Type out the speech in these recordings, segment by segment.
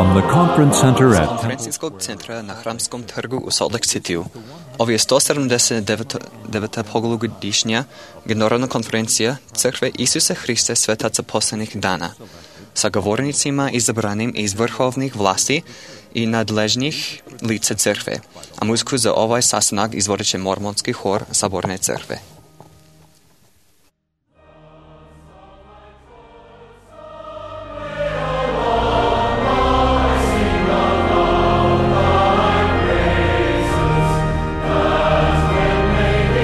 From the conference center З at конференційського центру на Храмському торгу у Солт-Лейк-Сіті. Ові 179 погологодишня Генеральна конференція Церкви Ісуса Христа Святаца Посланих дана. Соговорницima избраним из верховных властей и надлежних лиц церкви, а музыку за овай састанак изводит мормонский хор Соборной церкви.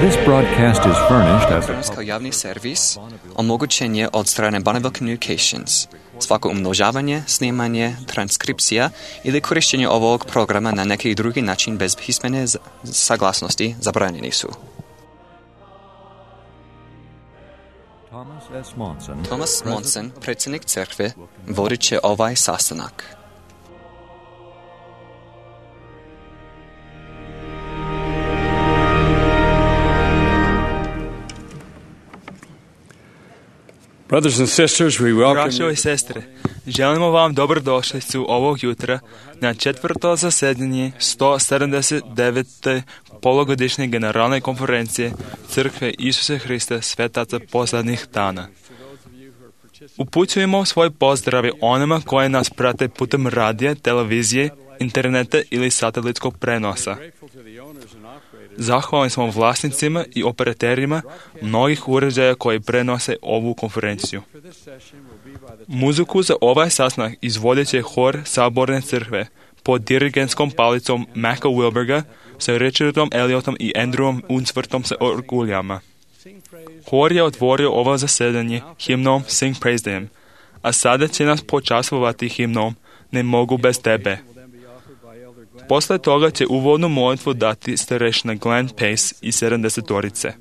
This broadcast is furnished as Kao javni servis omogućen je od strane Bonneville Communications. Svako umnožavanje, snimanje, transkripcija ili korištenje ovog programa na neki drugi način bez pismene saglasnosti zabranjeni su. Thomas Monson, predsjednik crkve, vodit će ovaj sastanak. Brothers and sisters, we welcome Braćo i sestre, želimo vam dobrodošlicu ovog jutra na četvrto zasedanje 179. polugodišnje generalne konferencije Crkve Isusa Hrista Svetaca Poslednjih dana. Upućujemo svoj pozdrav onima koji nas prate putem radija, televizije, interneta ili satelitskog prenosa. Zahvalni smo vlasnicima i operaterima mnogih uređaja koji prenose ovu konferenciju. Muziku za ovaj sastanak izvodit će hor Saborne crkve pod dirigentskom palicom Macka Wilberga sa Richardom Elliotom i Andrewom Unsworthom sa orguljama. Hor je otvorio ovo zasedanje himnom Sing Praise to Him, a sada će nas počastvovati himnom Ne mogu bez tebe. Posle toga će uvodnu molitvu dati starešina Glenn Pace i 70-torice.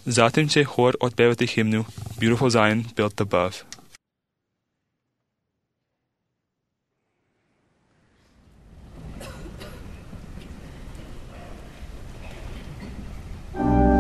Zatim će hor otpevati himnu Beautiful Zion Built Above. Every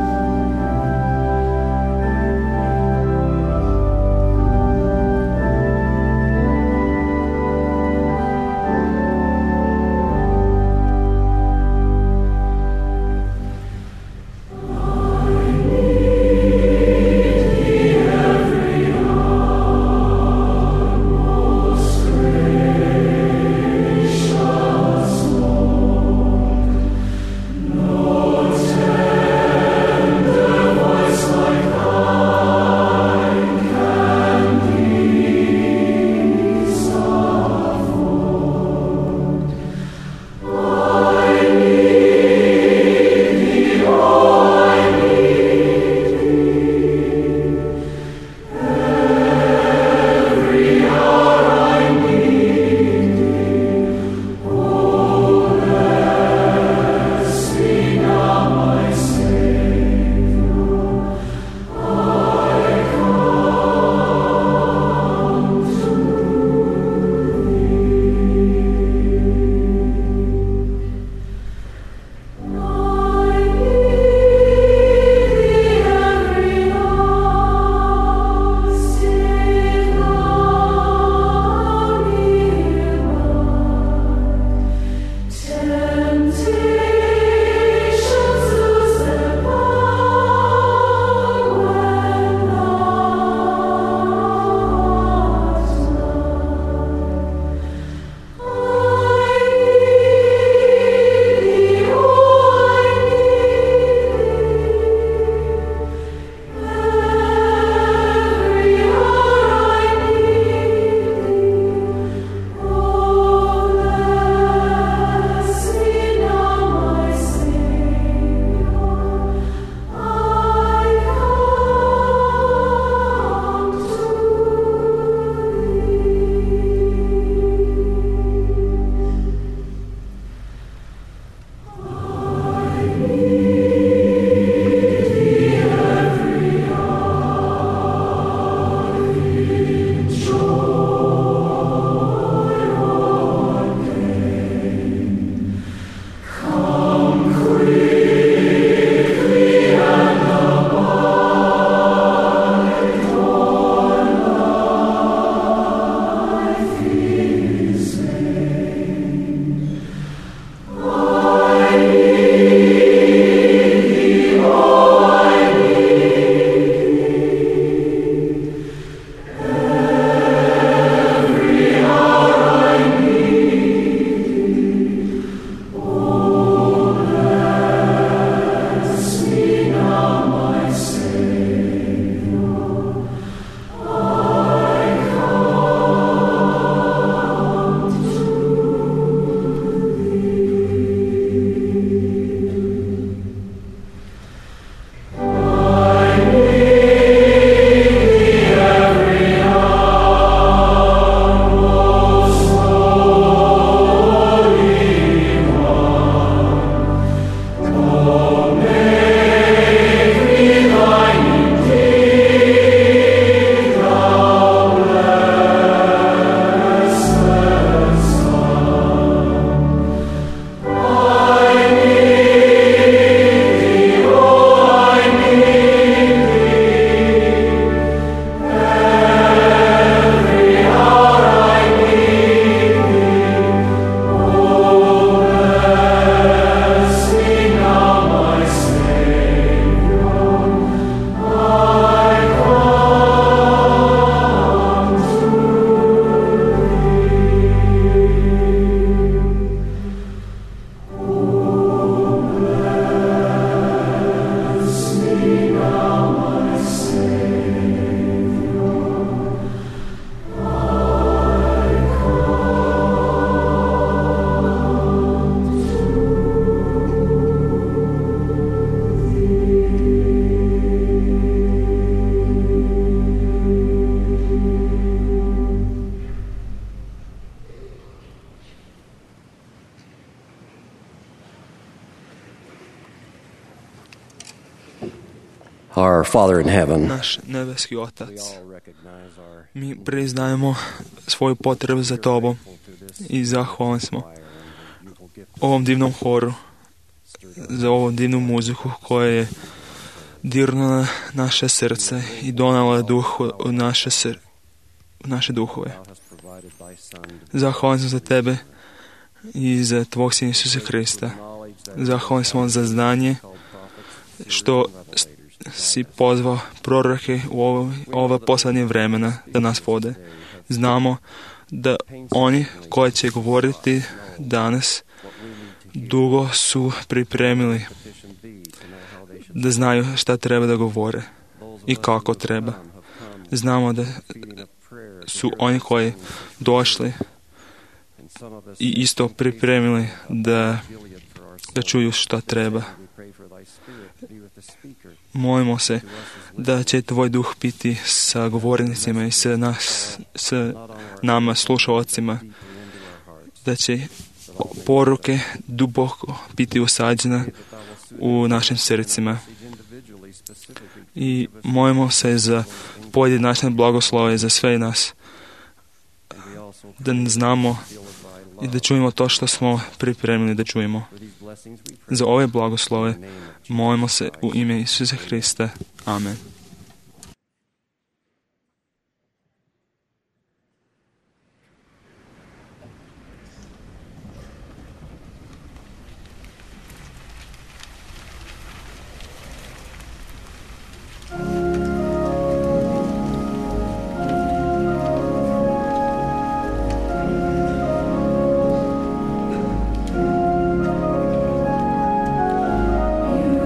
our Father in heaven, naš nebeski Otac. all recognize our Mi priznajemo svoju potrebu za Tobom i zahvalni smo ovom divnom horu, za ovu divnu muziku koja je dirnula naše srce i donala duh u naše duhove. Zahvalni smo za Tebe i za Tvog Sina Isusa Hrista. Zahvalni smo za znanje što si pozvao proroke u ova posljednje vremena da nas vode. Znamo da oni koji će govoriti danas dugo su pripremili da znaju šta treba da govore i kako treba. Znamo da su oni koji došli i isto pripremili da čuju šta treba. Molimo se da će Tvoj duh biti sa govornicima i sa nama, slušalcima, da će poruke duboko biti usađene u našim srcima. I molimo se za pojedinačne blagoslove za sve nas, da znamo i da čujemo to što smo pripremili da čujemo. Za ove blagoslove molimo se u ime Isusa Hrista. Amen.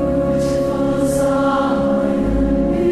Beautiful Zion,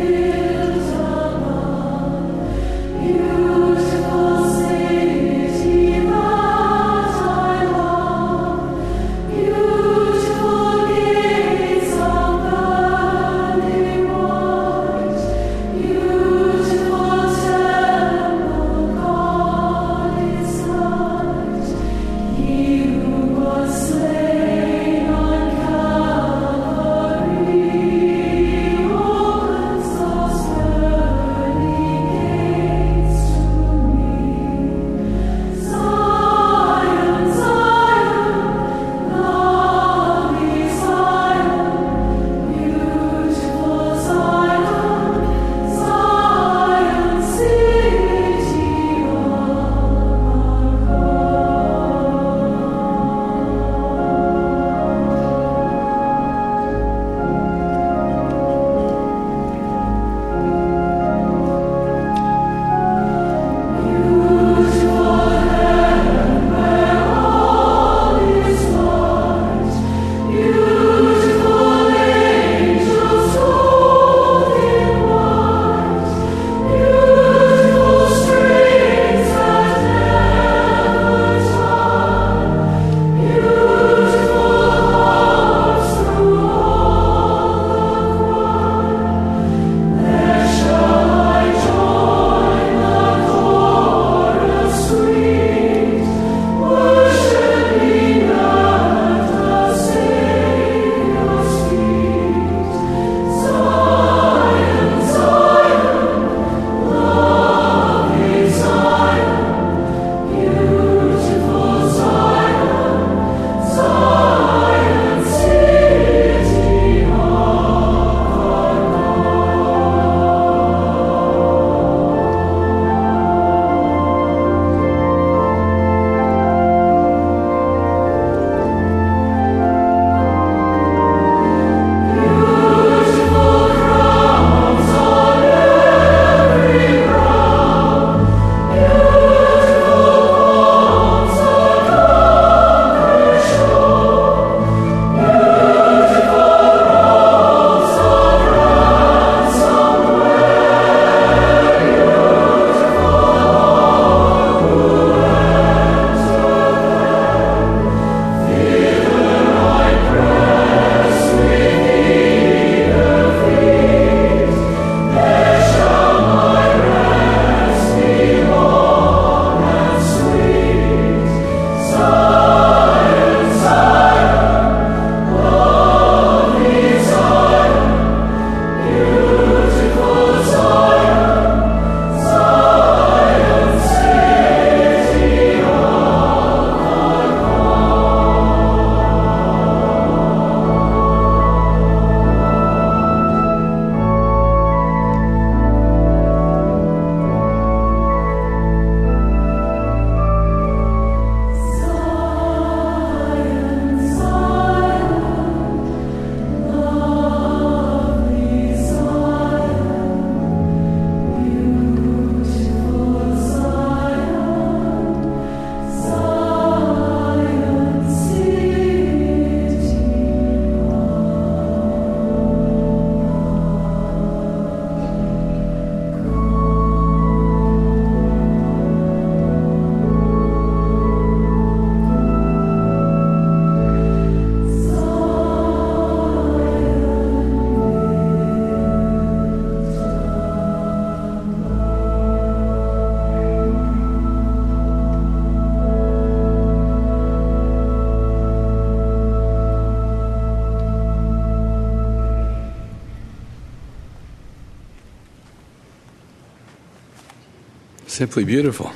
Simply beautiful.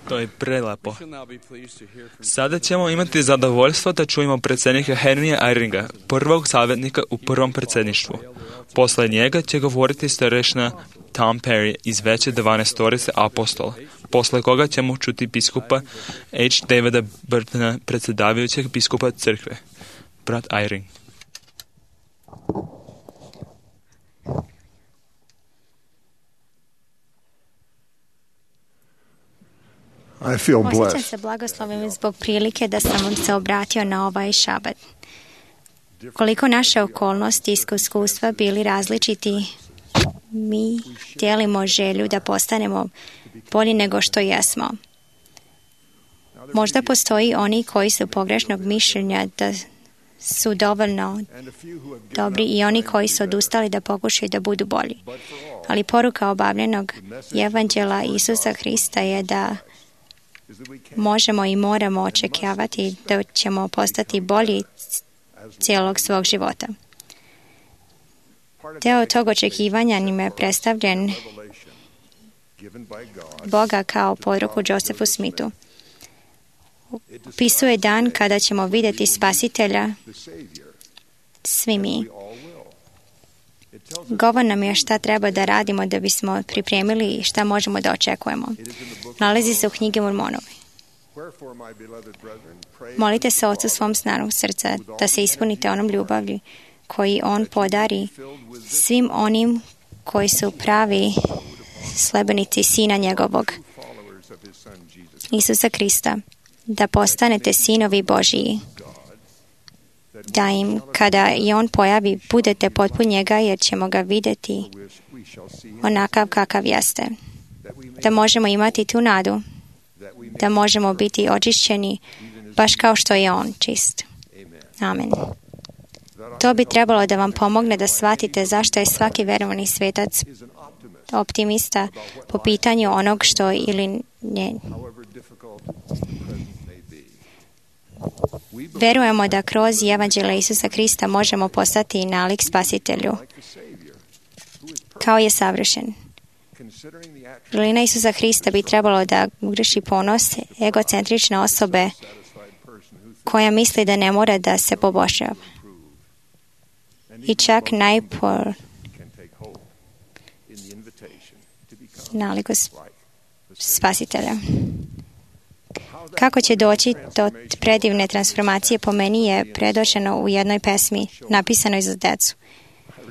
To je prelepo. Sada ćemo imati zadovoljstvo da čujemo predsjednika Henrya Eyringa, prvog savjetnika u prvom predsjedništvu. Posle njega će govoriti starešina Tom Perry iz veće 12 apostola, posle koga ćemo čuti biskupa H. Davida Burtona, predsjedavajućeg biskupa crkve. Brat Eyring. Osjećam se blagoslovim zbog prilike da sam vam se obratio na ovaj šabat. Koliko naše okolnosti i iskustva bili različiti, mi dijelimo želju da postanemo bolji nego što jesmo. Možda postoji oni koji su pogrešnog mišljenja da su dovoljno dobri i oni koji su odustali da pokušaju da budu bolji. Ali poruka obavljenog evanđela Isusa Hrista je da možemo i moramo očekivati da ćemo postati bolji cijelog svog života. Deo tog očekivanja nam je predstavljen Boga kao poruku Josephu Smithu. Opisuje dan kada ćemo vidjeti Spasitelja, svi mi. Govor nam je šta treba da radimo da bismo pripremili i šta možemo da očekujemo. Nalazi se u knjigi Mormonovi. Molite se Ocu svom snarom srca da se ispunite onom ljubavlju koji On podari svim onim koji su pravi sledbenici Sina njegovog, Isusa Krista, da postanete sinovi Božiji, da im, kada i On pojavi, budete potpun njega, jer ćemo ga vidjeti onakav kakav jeste. Da možemo imati tu nadu, da možemo biti očišćeni baš kao što je On čist. Amen. To bi trebalo da vam pomogne da shvatite zašto je svaki verovani svetac optimista po pitanju onog što ili ne. Verujemo da kroz evanđelje Isusa Krista možemo postati nalik Spasitelju, kao je savršen. Vrlina Isusa Hrista bi trebalo da ugreši ponos egocentrične osobe koja misli da ne mora da se poboljšava. I čak naliku Spasitelja. Kako će doći do predivne transformacije, po meni je predočeno u jednoj pesmi napisanoj za decu.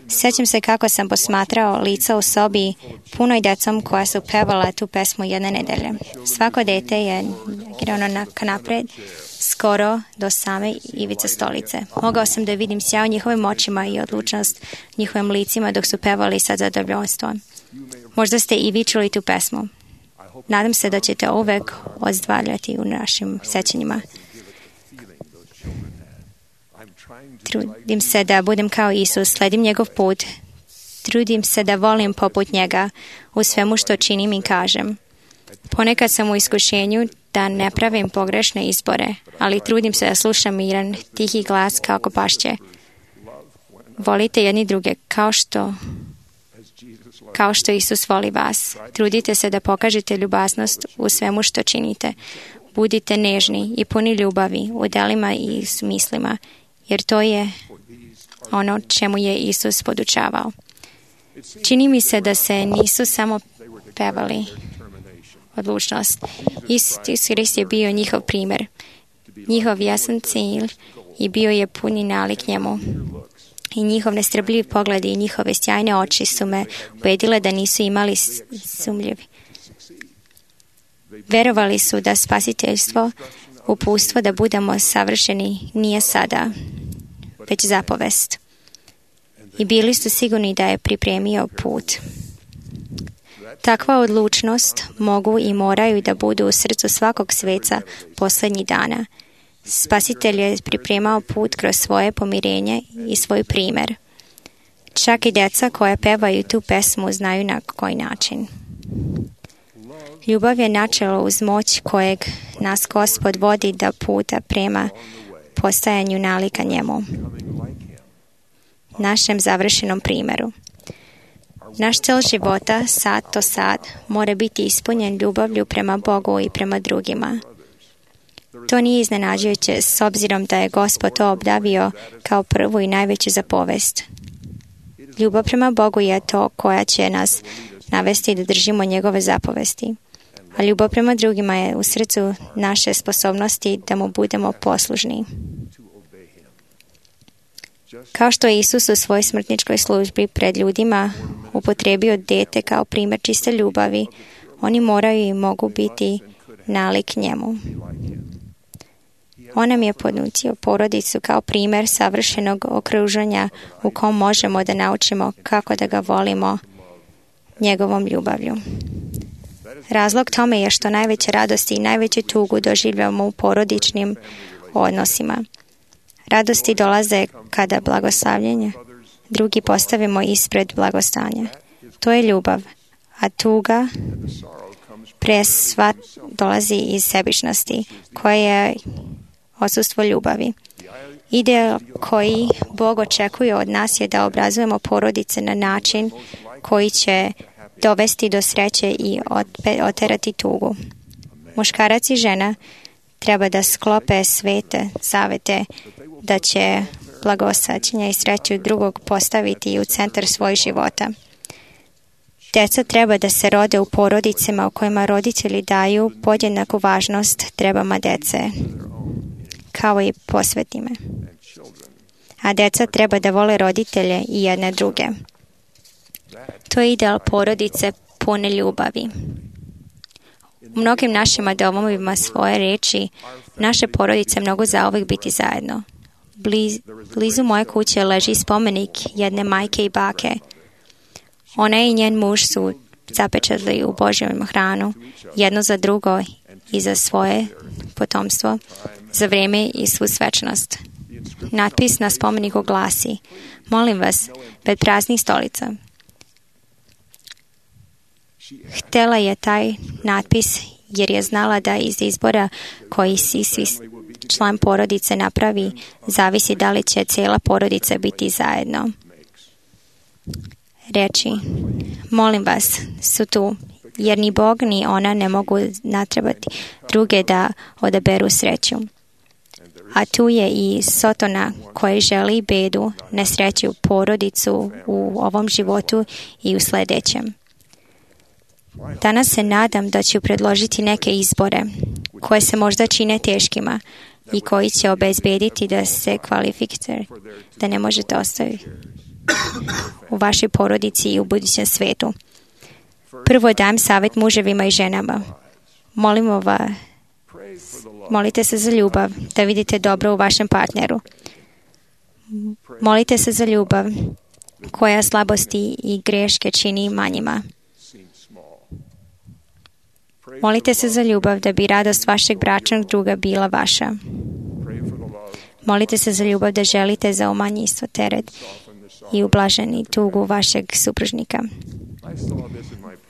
Sjećam se kako sam posmatrao lica u sobi punoj decom koja su pevala tu pesmu jedne nedelje. Svako dete je igrano napred, skoro do same ivice stolice. Mogao sam da vidim sjaj u njihovim očima i odlučnost njihovim licima dok su pevali sa zadovoljstvom. Možda ste i vi čuli tu pesmu. Nadam se da ćete uvek ozdravljati u našim sećanjima. Trudim se da budem kao Isus, sledim njegov put. Trudim se da volim poput njega u svemu što činim i kažem. Ponekad sam u iskušenju da ne pravim pogrešne izbore, ali trudim se da slušam miran, tihi glas kako pašće. Volite jedni druge kao što Isus voli vas. Trudite se da pokažete ljubaznost u svemu što činite. Budite nežni i puni ljubavi u delima i mislima, jer to je ono čemu je Isus podučavao. Čini mi se da se nisu samo pevali odlučnost. Isus Hrist je bio njihov primjer, njihov jasan cilj i bio je puni nalik njemu. I njihov nestrpljiv pogled i njihove sjajne oči su me ubedile da nisu imali sumnjivi. Verovali su da spasiteljstvo, uputstvo da budemo savršeni nije sada, već zapovest. I bili su sigurni da je pripremio put. Takva odlučnost mogu i moraju da budu u srcu svakog sveca posljednjih dana. Spasitelj je pripremao put kroz svoje pomirenje i svoj primjer. Čak i djeca koja pevaju tu pesmu znaju na koji način. Ljubav je načelo uz moć kojeg nas Gospod vodi da puta prema postajanju nalika njemu, našem završenom primjeru. Naš cel života, sad to sad, mora biti ispunjen ljubavlju prema Bogu i prema drugima. To nije iznenađujuće s obzirom da je Gospod to obdavio kao prvu i najveću zapovest. Ljubav prema Bogu je to koja će nas navesti da držimo njegove zapovesti. A ljubav prema drugima je u srcu naše sposobnosti da mu budemo poslužni. Kao što je Isus u svojoj smrtničkoj službi pred ljudima upotrijebio dete kao primjer čiste ljubavi, oni moraju i mogu biti nalik njemu. On nam je ponudio porodicu kao primjer savršenog okruženja u kom možemo da naučimo kako da ga volimo njegovom ljubavlju. Razlog tome je što najveće radosti i najveću tugu doživljavamo u porodičnim odnosima. Radosti dolaze kada blagoslavljenje drugi postavimo ispred blagostanja. To je ljubav, a tuga presva dolazi iz sebičnosti, koja je odsustvo ljubavi. Ideal koji Bog očekuje od nas je da obrazujemo porodice na način koji će dovesti do sreće i oterati tugu. Muškarac i žena treba da sklope svete zavete da će blagosađenje i sreću drugog postaviti u centar svojih života. Deca treba da se rode u porodicama u kojima roditelji daju podjednaku važnost trebama dece, kao i posvetime. A deca treba da vole roditelje i jedne druge. To je ideal porodice pune ljubavi. U mnogim našim domovima svoje reči, naše porodice mogu zauvijek biti zajedno. Blizu moje kuće leži spomenik jedne majke i bake. Ona i njen muž su zapečatili u Božjem hranu, jedno za drugo i za svoje potomstvo, za vrijeme i svu svečnost. Natpis na spomeniku glasi: molim vas, bez praznih stolica. Htjela je taj natpis jer je znala da iz izbora koji si član porodice napravi zavisi da li će cijela porodica biti zajedno. Reči, molim vas, su tu, jer ni Bog ni ona ne mogu natrebati druge da odaberu sreću. A tu je i Sotona koji želi bedu, nesreću, porodicu u ovom životu i u sljedećem. Danas se nadam da ću predložiti neke izbore koje se možda čine teškima i koji će obezbediti da se kvalifikujete, da ne možete ostaviti u vašoj porodici i u budućem svetu. Prvo dajem savjet muževima i ženama. Molite se za ljubav, da vidite dobro u vašem partneru. Molite se za ljubav koja slabosti i greške čini manjima. Molite se za ljubav da bi radost vašeg bračnog druga bila vaša. Molite se za ljubav da želite za umanjistvo teret i ublaženi tugu vašeg supružnika.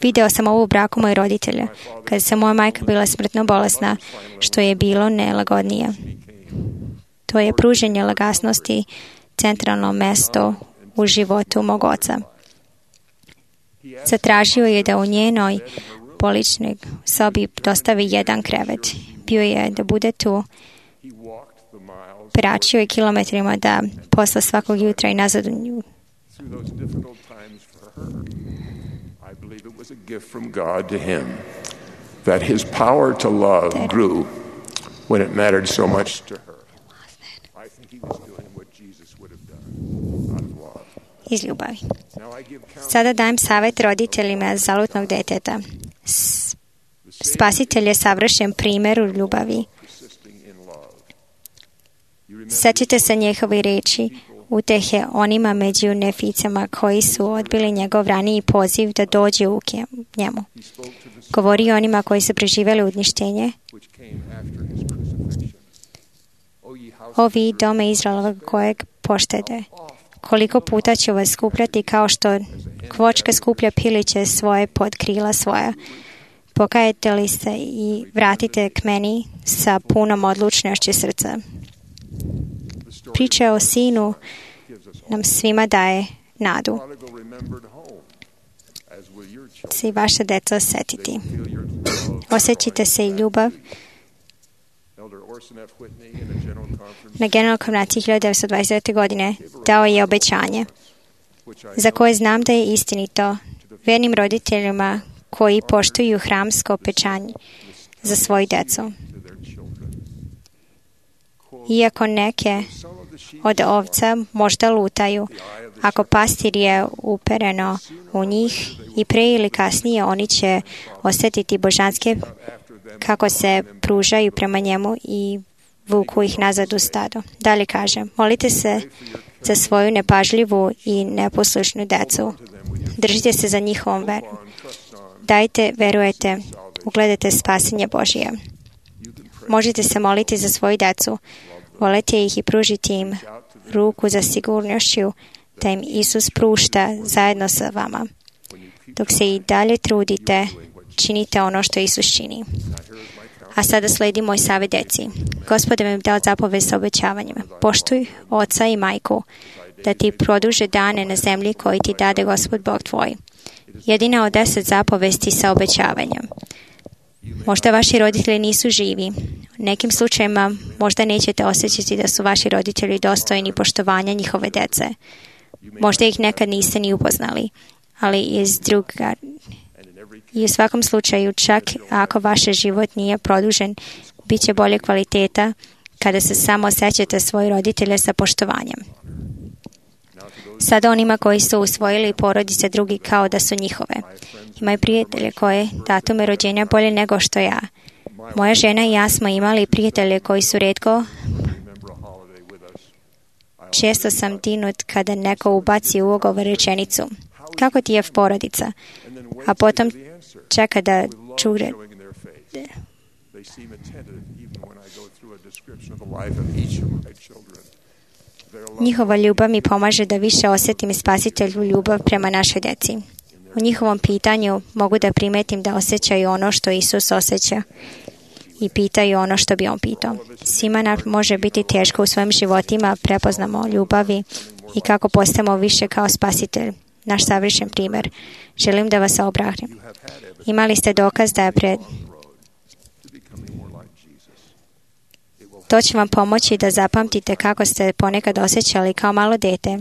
Video sam ovo u braku mojih roditelja, kada se moja majka bila smrtno bolesna, što je bilo nelagodnije. To je pruženje lagasnosti centralno mesto u životu mog oca. Zatražio je da u njenoj poličnoj sobi dostavi jedan krevet. Bio je da bude tu. Pračio je kilometrima da posla svakog jutra i nazad u nju. I believe it was a gift from God to him that his power to love grew when it mattered so much to her. I think he was doing what Jesus would have done out of love. Iz ljubavi. Sada dajem savjet roditeljima zalutnog deteta. Spasitelj je savršen primjer u ljubavi. Sećate se njehove riječi, utehe onima među neficama koji su odbili njegov raniji poziv da dođe u njemu. Govori onima koji su preživjeli uništenje. O vi dome Izraelova kojeg poštede, koliko puta ću vas skupljati kao što kvočka skuplja piliće svoje pod krila svoja. Pokajete li se i vratite k meni sa punom odlučnošću srca. Priča o sinu nam svima daje nadu. se i vaša deca osjetiti. Osjećite se i ljubav. Na generalnoj konferenciji 1929. godine dao je obećanje, za koje znam da je istinito, vernim roditeljima koji poštuju hramsko obećanje za svoju decu. Iako neke od ovca možda lutaju, ako pastir je upereno u njih i pre ili kasnije oni će osjetiti božanske kako se pružaju prema njemu i vuku ih nazad u stado. Dalje kaže, molite se za svoju nepažljivu i neposlušnu decu. Držite se za njihovom verom. Dajte, verujete, ugledajte spasenje Božije. Možete se moliti za svoju decu, volite ih i pružiti im ruku za sigurnošću da im Isus prušta zajedno sa vama. Dok se i dalje trudite, činite ono što Isus čini. A sada sledi moj savjet deci. Gospod vam je dao zapovest sa obećavanjima. Poštuj oca i majku, da ti produže dane na zemlji koji ti dade Gospod Bog tvoj. Jedina od 10 zapovesti sa obećavanjem. Možda vaši roditelji nisu živi. U nekim slučajima možda nećete osjećati da su vaši roditelji dostojni poštovanja njihove dece. Možda ih nekad niste ni upoznali, ali i u svakom slučaju, čak ako vaš život nije produžen, bit će bolje kvaliteta kada se samo osjećate svoje roditelje sa poštovanjem. Sada onima koji su usvojili porodice drugi kao da su njihove. Imaju prijatelje koje datume rođenja bolje nego što ja. Moja žena i ja smo imali prijatelje koji su retko. Često sam dinut kada neko ubaci u ugovor rečenicu. Kako ti je porodica? A potom čeka da čuje. Njihova ljubav mi pomaže da više osjetim spasitelju ljubav prema našoj deci. U njihovom pitanju mogu da primetim da osjećaju ono što Isus osjeća i pitaju ono što bi on pitao. Svima nam može biti teško u svojim životima, prepoznamo ljubavi i kako postajemo više kao spasitelj. Naš savršen primjer. Želim da vas obrahnem. Imali ste dokaz da je To će vam pomoći da zapamtite kako ste ponekad osjećali kao malo dete,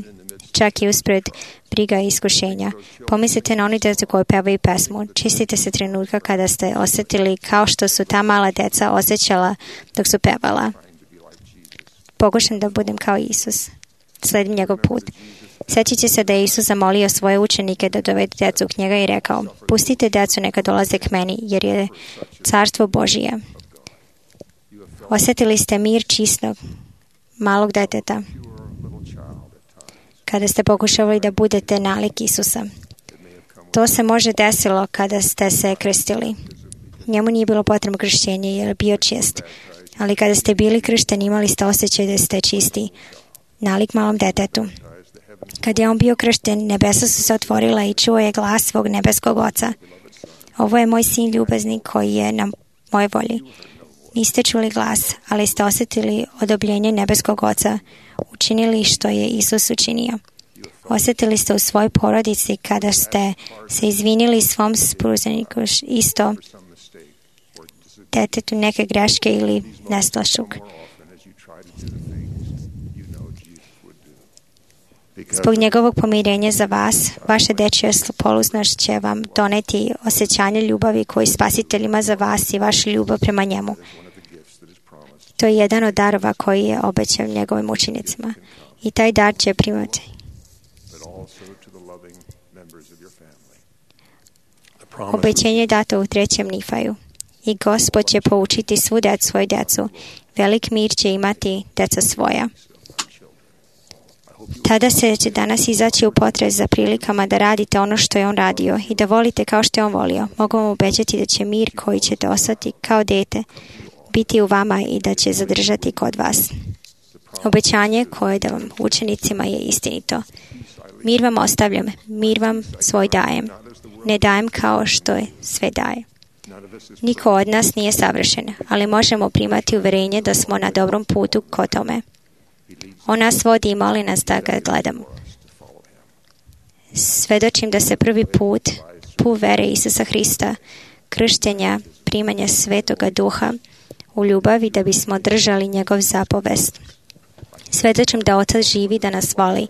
čak i uspred briga i iskušenja. Pomislite na oni djecu koji pevaju pesmu. Čistite se trenutka kada ste osjetili kao što su ta mala djeca osjećala dok su pevala. Pokušam da budem kao Isus. Sledim njegov put. Sjećiće se da je Isus zamolio svoje učenike da dovedu djecu k njega i rekao, pustite djecu neka dolaze k meni, jer je carstvo Božije. Osjetili ste mir čistog, malog djeteta, kada ste pokušavali da budete nalik Isusa. To se može desilo kada ste se krstili. Njemu nije bilo potrebno krštenje jer je bio čist. Ali kada ste bili kršteni, imali ste osjećaj da ste čisti, nalik malom djetetu. Kad je on bio kršten, nebesa su se otvorila i čuo je glas svog nebeskog oca. Ovo je moj sin ljubazni koji je na mojoj volji. Niste čuli glas, ali ste osjetili odobljenje nebeskog oca, učinili što je Isus učinio. Osjetili ste u svojoj porodici kada ste se izvinili svom supružniku isto detetu neke greške ili neslošnog. Zbog njegovog pomirenja za vas, vaša dečja polužnost će vam doneti osjećanje ljubavi koji Spasitelj ima za vas i vašu ljubav prema njemu. To je jedan od darova koji je obećao njegovim učenicima. I taj dar će primati. Obećenje je dato u 3. Nifaju. I Gospod će poučiti svu svoju djecu. Velik mir će imati djeca svoja. Tada se će danas izaći u potres za prilikama da radite ono što je on radio i da volite kao što je on volio. Mogu vam obećati da će mir koji ćete ostati kao dete biti u vama i da će zadržati kod vas. Obećanje koje da vam učenicima je istinito. Mir vam ostavljam, mir vam svoj dajem. Ne dajem kao što je sve daje. Niko od nas nije savršen, ali možemo primati uverenje da smo na dobrom putu k tome. On nas vodi i moli nas da ga gledamo. Svedočim da se prvi put put vere Isusa Hrista, krštenja, primanja Svetoga Duha u ljubavi da bismo držali njegov zapovest. Svedočim da Otac živi, da nas voli.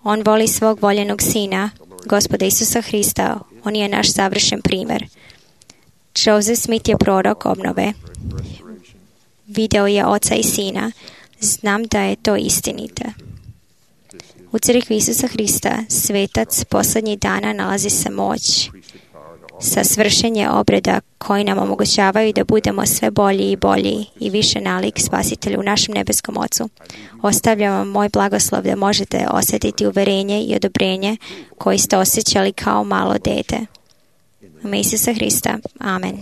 On voli svog voljenog Sina, Gospoda Isusa Hrista. On je naš savršen primjer. Joseph Smith je prorok obnove. Video je Oca i Sina. Znam da je to istinite. U crkvi Isusa Hrista, svetac posljednjih dana, nalazi se moć sa svršenje obreda koji nam omogućavaju da budemo sve bolji i bolji i više nalik Spasitelju, našem nebeskom Ocu. Ostavljam vam moj blagoslov da možete osjetiti uverenje i odobrenje koji ste osjećali kao malo dete. U ime Isusa Hrista. Amen.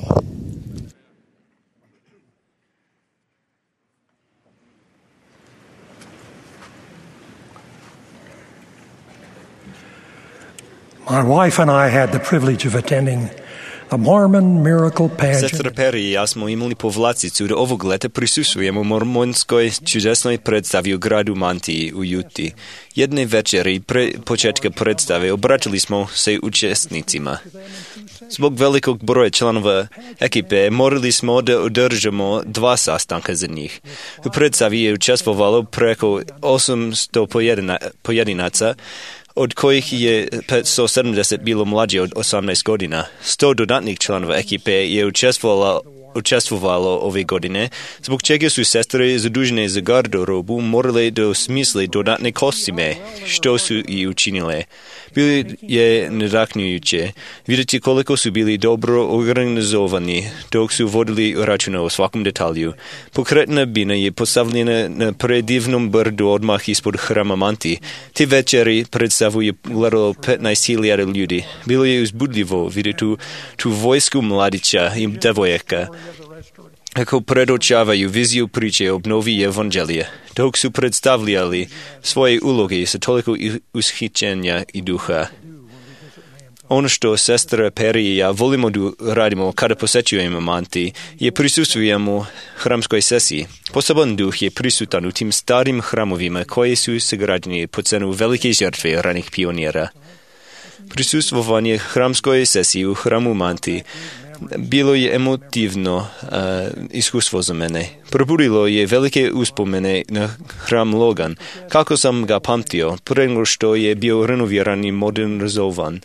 My wife and I had the privilege of attending the Mormon Miracle Pageant. Sestra Perry i ja smo imali povlasticu da ovog leta prisustvujemo mormonskoj čudesnoj predstavi u gradu Mantiji u Juti. Jedne večeri pre početka predstave obratili smo se učesnicima. Zbog velikog broja članova ekipe morali smo da održamo 2 sastanka za njih. U predstavi je učestvovalo preko 800 pojedinaca, od kojih je 570 bilo mlađe od 18 godina. 100 dodatnih članova ekipe je učestvovalo ove godine, zbog čega su sestre zadužene za garderobu morale da osmisle dodatne kostime, što su i učinile. Bilo je nadahnujuće vidjeti koliko su bili dobro organizovani dok su vodili računa o svakom detalju. Pokretna bina je postavljena na predivnom brdu odmah ispod hrama Manti. Te večeri predstavu je gledalo 15.000 ljudi. Bilo je uzbudljivo vidjeti tu vojsku mladića i devojaka kako predočavaju viziju priče o obnovi evanđelija, dok su predstavljali svoje uloge sa toliko ushićenja i duha. Ono što sestra Perry i ja volimo da radimo kada posećujemo Manti je prisustvujemo hramskoj sesiji. Poseban duh je prisutan u tim starim hramovima koji su sagrađeni po cenu velike žrtve ranih pionira. Prisustvovanje hramskoj sesiji u hramu Manti bilo je emotivno iskustvo za mene. Probudilo je velike uspomene na hram Logan, kako sam ga pamtio, pre nego što je bio renoviran i modernizovan.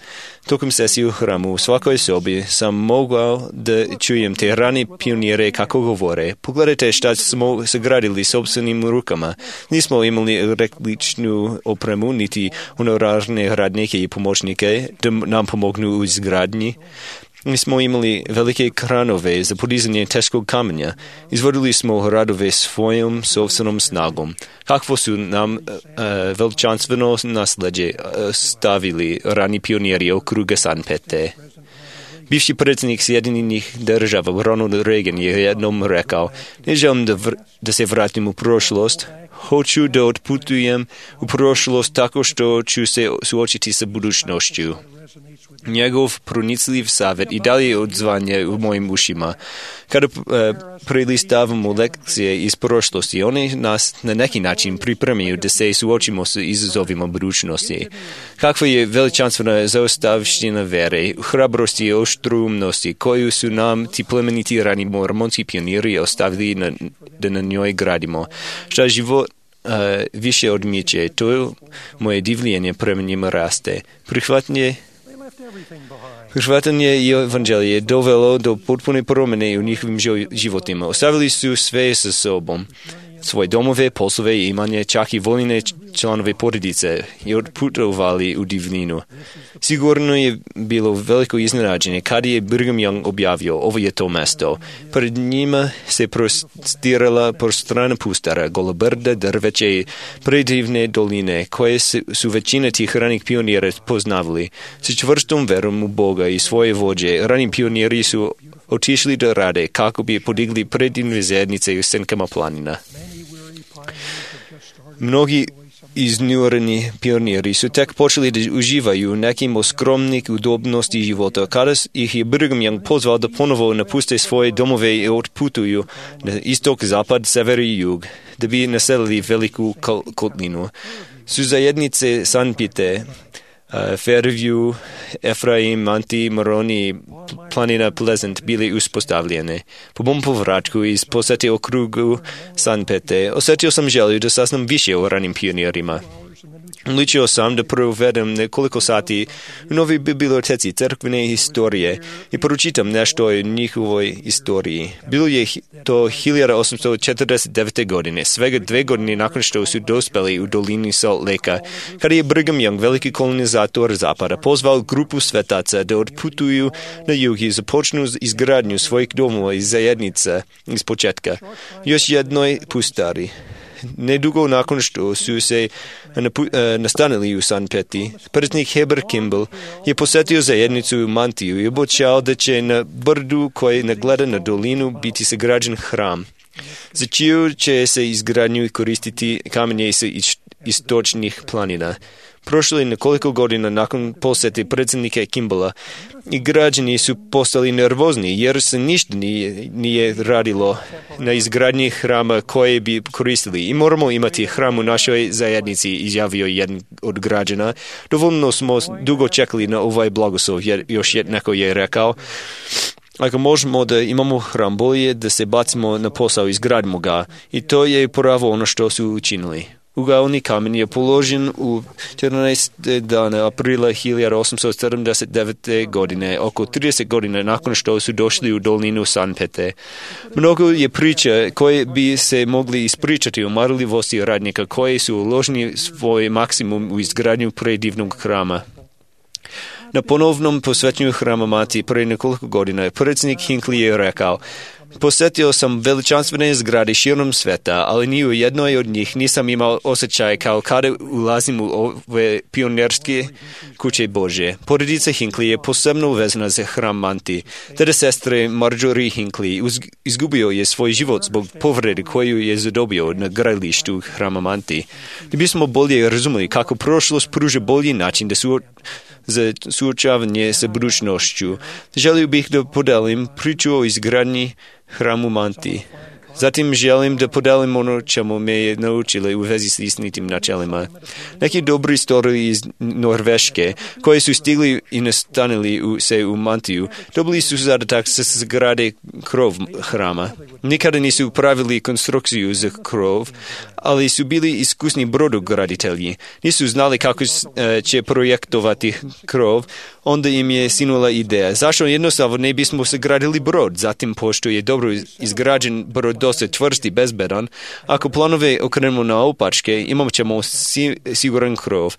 Tokom sesije u hramu u svakoj sobi sam mogao da čujem te rani pionire kako govore. Pogledajte šta smo sagradili sopstvenim rukama. Nismo imali električnu opremu, niti honorarne radnike i pomoćnike da nam pomognu u izgradnji. Mi smo imali velike kranove za podizanje teškog kamenja. Izvodili smo radove svojom sopstvenom snagom. Kakvo su nam veličanstveno nasljeđe stavili rani pioniri okruga Sanpete. Bivši predsjednik Sjedinjenih država Ronald Reagan je jednom rekao: ne želim da se vratim u prošlost, hoću da otputujem u prošlost tako što ću se suočiti sa budućnošću. Njegov pronicljiv savjet i dalje odzvanja u mojim ušima. Kada prelistavamo lekcije iz prošlosti, one nas na neki način pripremaju da se suočimo sa izazovima budućnosti. Kakva je veličanstvena zaostavština vere, hrabrosti i oštrumnosti koju su nam ti plemeniti rani mormonski pioniri ostavili da na njoj gradimo. Šta život više odmiče, to moje divljenje prema njima raste. Prihvatanje i evanđelje je dovelo do potpune promjene u njihovim životima. Ostavili su sve sa sobom, svoje domove, poslove i imanje, čak i voljene članove porodice i otputovali u divljinu. Sigurno je bilo veliko iznenađenje kada je Brigham Young objavio: ovo je to mesto. Pred njima se prostirala prostrana pustara, gola brda, drveće i predivne doline koje su većina tih ranih pionira poznavali. Sa čvrstom verom u Boga i svoje vođe, rani pioniri su otišli da rade kako bi podigli predivne zajednice u senkama planina. Mnogi iznureni pioniri su tek počeli da uživaju nekim od skromnih udobnosti života, kada ih je Brigham Young pozvao da ponovo napuste svoje domove i otputuju na istok, zapad, sever i jug, da bi naselili veliku kotlinu. Su zajednice Sanpete Fairview, Efraim, Manti, Moroni i planina Pleasant bili uspostavljene. Po mom povratku iz posete okrugu San Pete, osjetio sam želju da saznam više o ranim pionirima. Odlučio sam da provedem nekoliko sati u novoj biblioteci crkvene historije i pročitam nešto o njihovoj istoriji. Bilo je to 1849. godine, svega 2 godine nakon što su dospeli u dolini Salt Lakea, kada je Brigham Young, veliki kolonizator zapada, pozvao grupu svetaca da odputuju na jug i započnu izgradnju svojih domova i zajednica iz početka. Još jednoj pustari. Nedugo nakon što su se nastanili u San Peti, predsjednik Heber Kimball je posjetio zajednicu u Mantiju i obećao da će na brdu koji nagleda na dolinu biti sagrađen hram. Za čiju će se izgradnju koristiti kamenje sa istočnih planina. Prošlo je nekoliko godina nakon posjete predsjednika Kimballa i građani su postali nervozni jer se ništa nije radilo na izgradnji hrama koje bi koristili. I moramo imati hram u našoj zajednici, izjavio jedan od građana. Dovoljno smo dugo čekali na ovaj blagoslov, jer još neko je rekao. Ako možemo da imamo hram, bolje da se bacimo na posao i izgradimo ga. I to je pravo ono što su učinili. Ugaoni kamen je položen u 14. dana aprila 1879. godine, oko 30 godina nakon što su došli u dolinu San Pete. Mnogo je priča koje bi se mogli ispričati o marljivosti radnika koji su uložili svoj maksimum u izgradnju predivnog hrama. Na ponovnom posvećenju hrama Mati pre nekoliko godina predsjednik Hinckley je rekao: posjetio sam veličanstvene zgrade širom sveta, ali ni u jednoj od njih nisam imao osjećaj kao kada ulazim u ove pionirske kuće Božje. Porodica Hinckley je posebno uvezana za hram Manti. Tada sestre Marjorie Hinckley izgubio je svoj život zbog povrede koju je zadobio na gradilištu hrama Manti. Da bismo bolje razumeli kako prošlost pruža bolji način za suočavanje sa budućnošću, želio bih da podelim priču o izgradnji hramu Manti. Zatim želim da podelim ono čemu me je naučili u vezi s istinitim načelima. Neki dobri istoriji iz Norveške, koji su stigli i nastanili se u Mantiju, dobili su zadatak da se zgrade krov hrama. Nikada nisu pravili konstrukciju za krov, ali su bili iskusni brodograditelji. Nisu znali kako će projektovati krov, onda im je sinula ideja. Zašto jednostavno ne bismo sagradili brod? Zatim, pošto je dobro izgrađen brod dosta čvrst i bezbedan, ako planove okrenemo na opačke, imat ćemo siguran krov.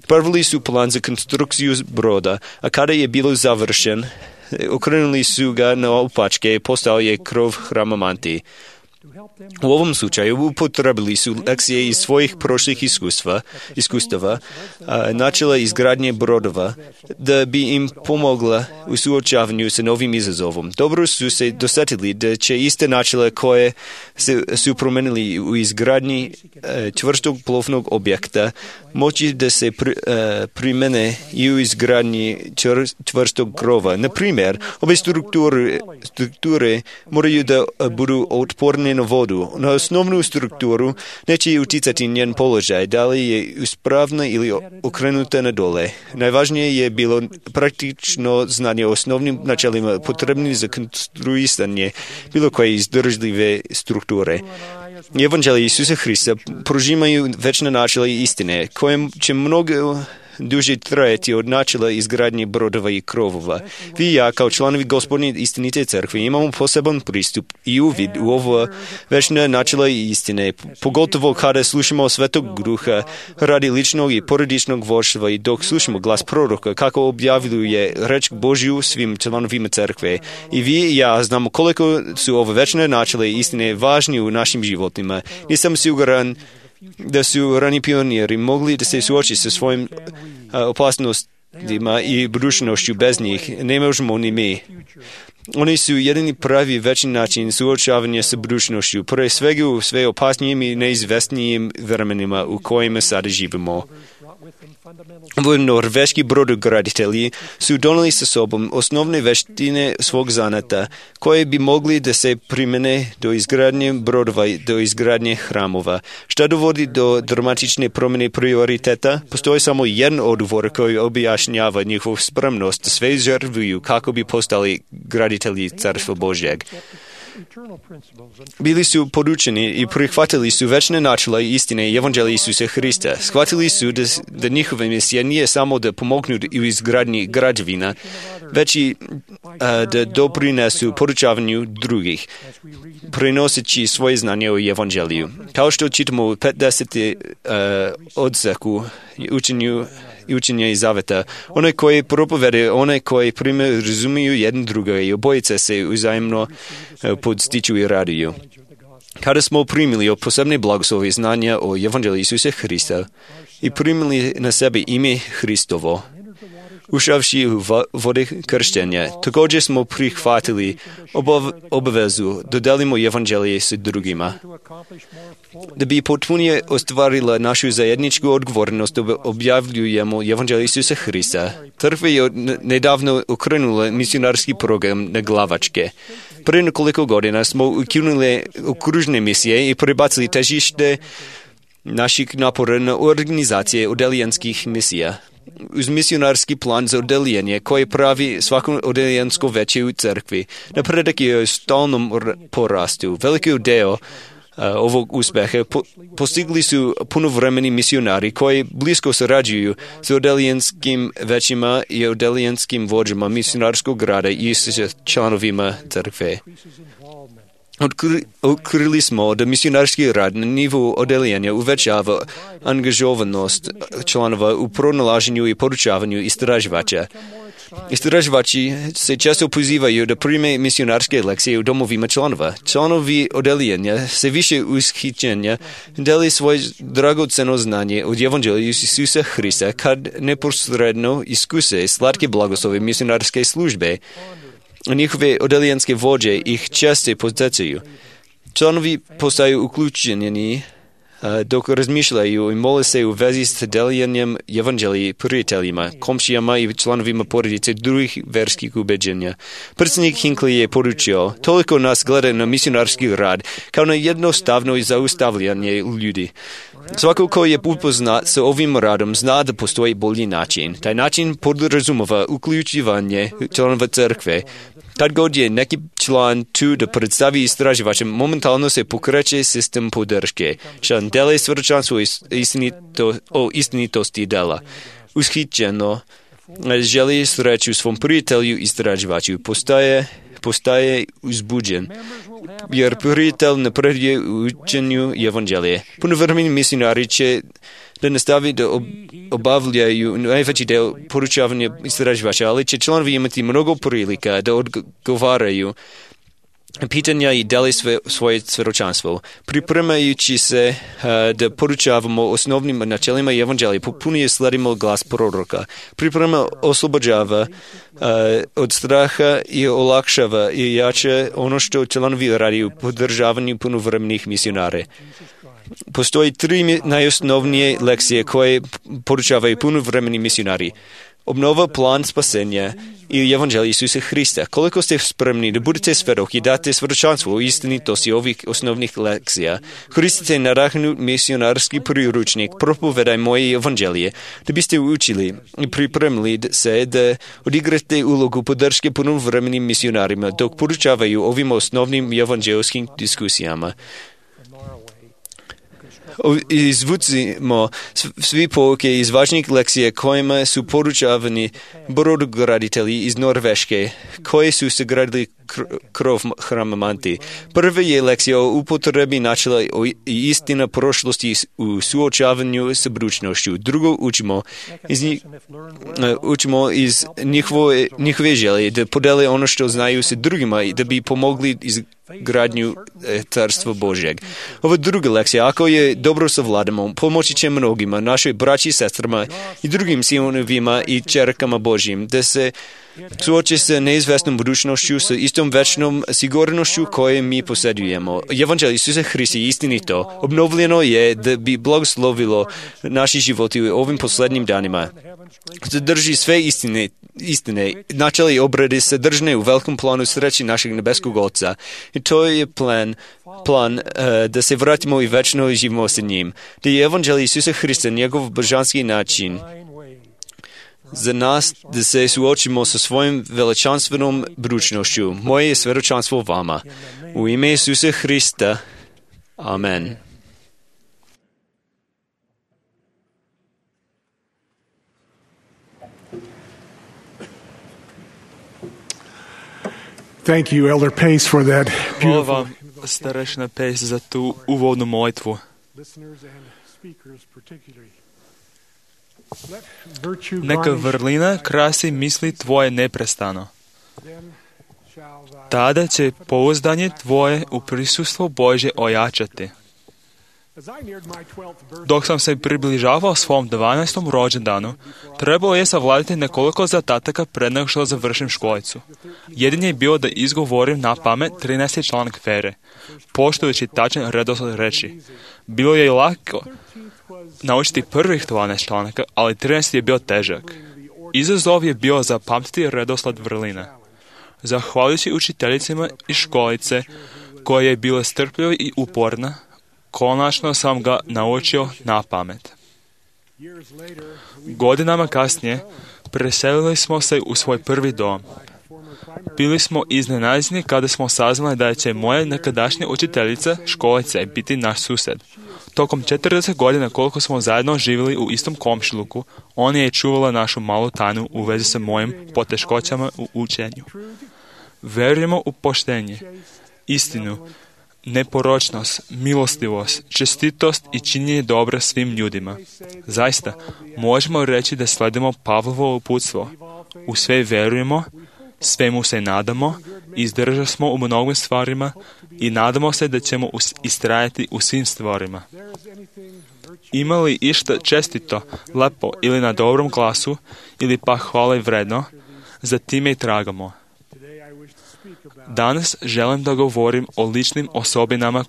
Pravili su plan za konstrukciju broda, a kada je bilo završen, okrenuli su ga na opačke i postao je krov hrama Manti. U ovom slučaju upotrebili su lekcije iz svojih prošlih iskustava, načela izgradnje brodova, da bi im pomogla u suočavanju sa novim izazovom. Dobro su se dosjetili da će iste načela koje su promenili u izgradnji čvrstog plovnog objekta moći da se primene i u izgradnji čvrstog krova. Na primjer, ove strukture moraju da budu otporne na vodu. Na osnovnu strukturu neće uticati njen položaj, da li je uspravna ili okrenuta na dole. Najvažnije je bilo praktično znanje o osnovnim načelima potrebnim za konstruisanje bilo koje izdržljive strukture. Evanđelje Isusa Hrista prožimaju večna načela i istine, koje će mnogo duže trajati od načela izgradnje brodova i krovova. Vi i ja, kao članovi Gospodnje istinite crkve, imamo poseban pristup i uvid u ovo večne načela i istine, pogotovo kada slušamo Svetog Duha radi ličnog i porodičnog vođstva i dok slušamo glas proroka kako objavljuje reč Božju svim članovima crkve. I vi i ja znamo koliko su ove večne načela i istine važni u našim životima. Nisam siguran da su rani pioniri mogli da se suoči sa svojim opasnostima i budućnošću bez njih. Ne možemo ni mi. Oni su jedini pravi večni način suočavanja sa budućnošću, pre svega u sve opasnijim i neizvestnijim vremenima u kojima sada živimo. Norveški brodograditelji su doneli sa sobom osnovne veštine svog zanata, koje bi mogli da se primene do izgradnje brodova i do izgradnje hramova. Šta dovodi do dramatične promjene prioriteta? Postoji samo jedan odgovor koji objašnjava njihovu spremnost da sve žrtvuju kako bi postali graditelji Carstva Božjeg. Bili su podučeni i prihvatili su večne načela i istine i evanđelja Isusa Hrista. Shvatili su da njihova misija nije samo da pomognu u izgradnji građevina, već i da doprinesu podučavanju drugih, prenoseći svoje znanje o evanđelju. Kao što čitamo u 50. odseku učenja i zaveta, onaj koji propovede, onaj koji prime razumiju jedan druga i obojice se uzajemno podstiču i raduju. Kada smo primili posebne blagoslove znanja o evanđelju Isusa Hrista i primili na sebe ime Hristovo, ušavši u vode krštenja, također smo prihvatili obavezu da delimo evanđelje s drugima. Da bi potpunije ostvarila našu zajedničku odgovornost, objavljujemo evanđelje Isusa Hrista. Crkva je nedavno okrenula misionarski program na glavačke. Prije nekoliko godina smo ukinuli okružne misije i prebacili težište naših napora na organizacije odelijanskih misija. Uz misionarski plan za odeljenje koje pravi svako odelijansko veće u crkvi. Napredak je u stalnom porastu. Veliki deo ovog uspeha postigli su punovremeni misionari koji blisko surađuju s odelijanskim većima i odelijanskim vođama misionarskog rada i s članovima crkve. Otkrili smo da misionarski rad na nivou odeljanja uvećava angažovanost članova u pronalaženju i podučavanju istraživača. Istraživači se često pozivaju da prime misionarske lekcije u domovima članova. Članovi odeljanja se više ushićenja deli svoje dragoceno znanje od evanđelja Isusa Hrista kad neposredno iskuse slatke blagoslove misionarske službe. Njihove odeljanske vođe ih često podsjećaju. Članovi postaju uključeni dok razmišljaju i mole se u vezi s deljenjem evanđelja prijateljima, komšijama i članovima porodice drugih verskih ubeđenja. Predsjednik Hinckley je poručio, toliko nas gleda na misionarski rad kao na jednostavno zaustavljanje ljudi. Svako ko je upoznat sa ovim radom zna da postoji bolji način. Taj način podrazumeva uključivanje članova crkve. Kad god je neki član tu da predstavi istraživačem, momentalno se pokreće sistem podrške. Član dele svjedočanstvo o istinitosti dela. Ushićeno želi sreću svom prijatelju istraživaču. Postaje uzbuđen, jer prijatelj napreduje u učenju evanđelje. Punovremeni misionari će da nastavi da obavljaju najveći del podučavanja istraživača, ali će članovi imati mnogo prilika da odgovaraju pitanja i deli svoje svjedočanstvo. Pripremajući se da podučavamo osnovnim načelima evanđelja, potpunije sledimo glas proroka. Priprema oslobođava od straha i olakšava i jače ono što članovi radi u podržavanju punovremenih misionare. Postoji 3 najosnovnije lekcije koje podučavaju punovremeni misionari. Obnova, plan spasenja i evanđelje Isusa Hrista. Koliko ste spremni da budete svjedok i date svjedočanstvo o istinitosti ovih osnovnih lekcija, koristite nadahnut misionarski priručnik Propovedaj moje evanđelje, da biste učili i pripremili se da odigrate ulogu podrške punovremenim misionarima dok podučavaju ovim osnovnim evanđelskim diskusijama. Izvucimo svi pouke iz važnih lekcija kojima su podučavani brodograditelji iz Norveške, koji su sagradili krov hrama Manti. Prva je lekcija o upotrebi načela i istina prošlosti u suočavanju s budućnošću. Drugo učimo iz njihove želje da podele ono što znaju s drugima i da bi pomogli izgradnju Carstva Božjeg. Ova druga lekcija, ako je dobro savladamo, pomoći će mnogima, našoj braći, sestrama i drugim sinovima i čerkama Božjim, da se suoči se neizvesnom budućnošću s istom večnom sigurnošću koje mi posjedujemo. Evanđelje Isusa Hrista je istinito. Obnovljeno je da bi blagoslovilo naši životi u ovim posljednjim danima. Zadrži sve istine. Načeli obrade sadržane u velikom planu sreći našeg nebeskog Oca. I to je plan da se vratimo i večno živimo sa njim. Da je Evanđelje Isusa Hrista njegov božanski način za nas da se suočimo sa svojim veličanstvenom budućnošću. Moje je svjedočanstvo vama. U ime Isusa Hrista. Amen. Thank you, Elder Pace, for that Hvala beautiful vam, starešina Pace, za tu uvodnu molitvu. listeners and speakers particularly. Let virtue Neka garnish vrlina krasi misli tvoje neprestano. then shall thy Tada će pouzdanje tvoje u prisustvo Božje ojačati. As I neared my 12th birthday, Dok sam se približavao svom 12. rođendanu, trebalo je savladati nekoliko zadataka pred nego što završim školicu. Jedin je bio da izgovorim na pamet 13. članak Fere, poštujući tačan redosled reči. Bilo je i lako naučiti prvih 12 članaka, ali 13. je bio težak. Izazov je bio zapamtiti redosled vrlina. Zahvaljujući učiteljicima iz školice, koja je bila strpljiva i uporna, konačno sam ga naučio na pamet. years later, Godinama kasnije preselili smo se u svoj prvi dom. Bili smo iznenađeni kada smo saznali da će moja nekadašnja učiteljica školice biti naš susjed. Tokom 40 godina koliko smo zajedno živjeli u istom komšiluku, ona je čuvala našu malu tajnu u vezi sa mojim poteškoćama u učenju. Verujemo u poštenje, istinu, neporočnost, milostivost, čestitost i činjenje dobra svim ljudima. Zaista, možemo reći da sledimo Pavlovo uputstvo. U sve verujemo, svemu se nadamo, izdržali smo u mnogim stvarima i nadamo se da ćemo istrajati u svim stvarima. Ima li išta čestito, lepo ili na dobrom glasu, ili pa hvale vredno, za time i tragamo. Danas želim da govorim o ličnim osobinama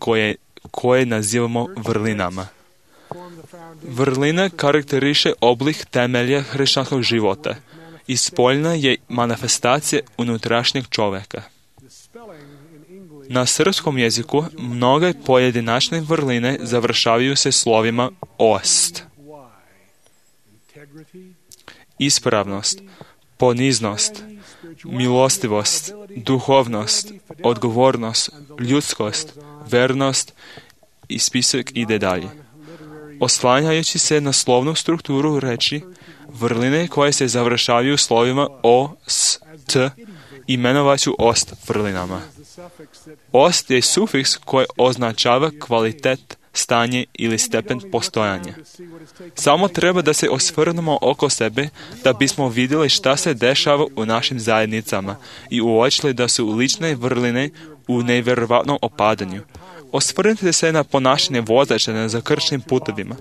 koje nazivamo vrlinama. Vrlina karakteriše oblik temelja hrišćanskog života i spoljna je manifestacija unutrašnjeg čovjeka. Na srpskom jeziku mnoge pojedinačne vrline završavaju se slovima ost. Ispravnost, poniznost, milostivost, duhovnost, odgovornost, ljudskost, vernost i spisak ide dalje. Oslanjajući se na slovnu strukturu reči, vrline koje se završavaju slovima o, s, t, imenovaću ost vrlinama. Ost je sufiks koji označava kvalitet, stanje ili stepen postojanja. Samo treba da se osvrnemo oko sebe da bismo vidjeli šta se dešava u našim zajednicama i uočili da su lične vrline u nevjerovatnom opadanju. Osvrnite se na ponašanje vozača na zakrčnim putovima.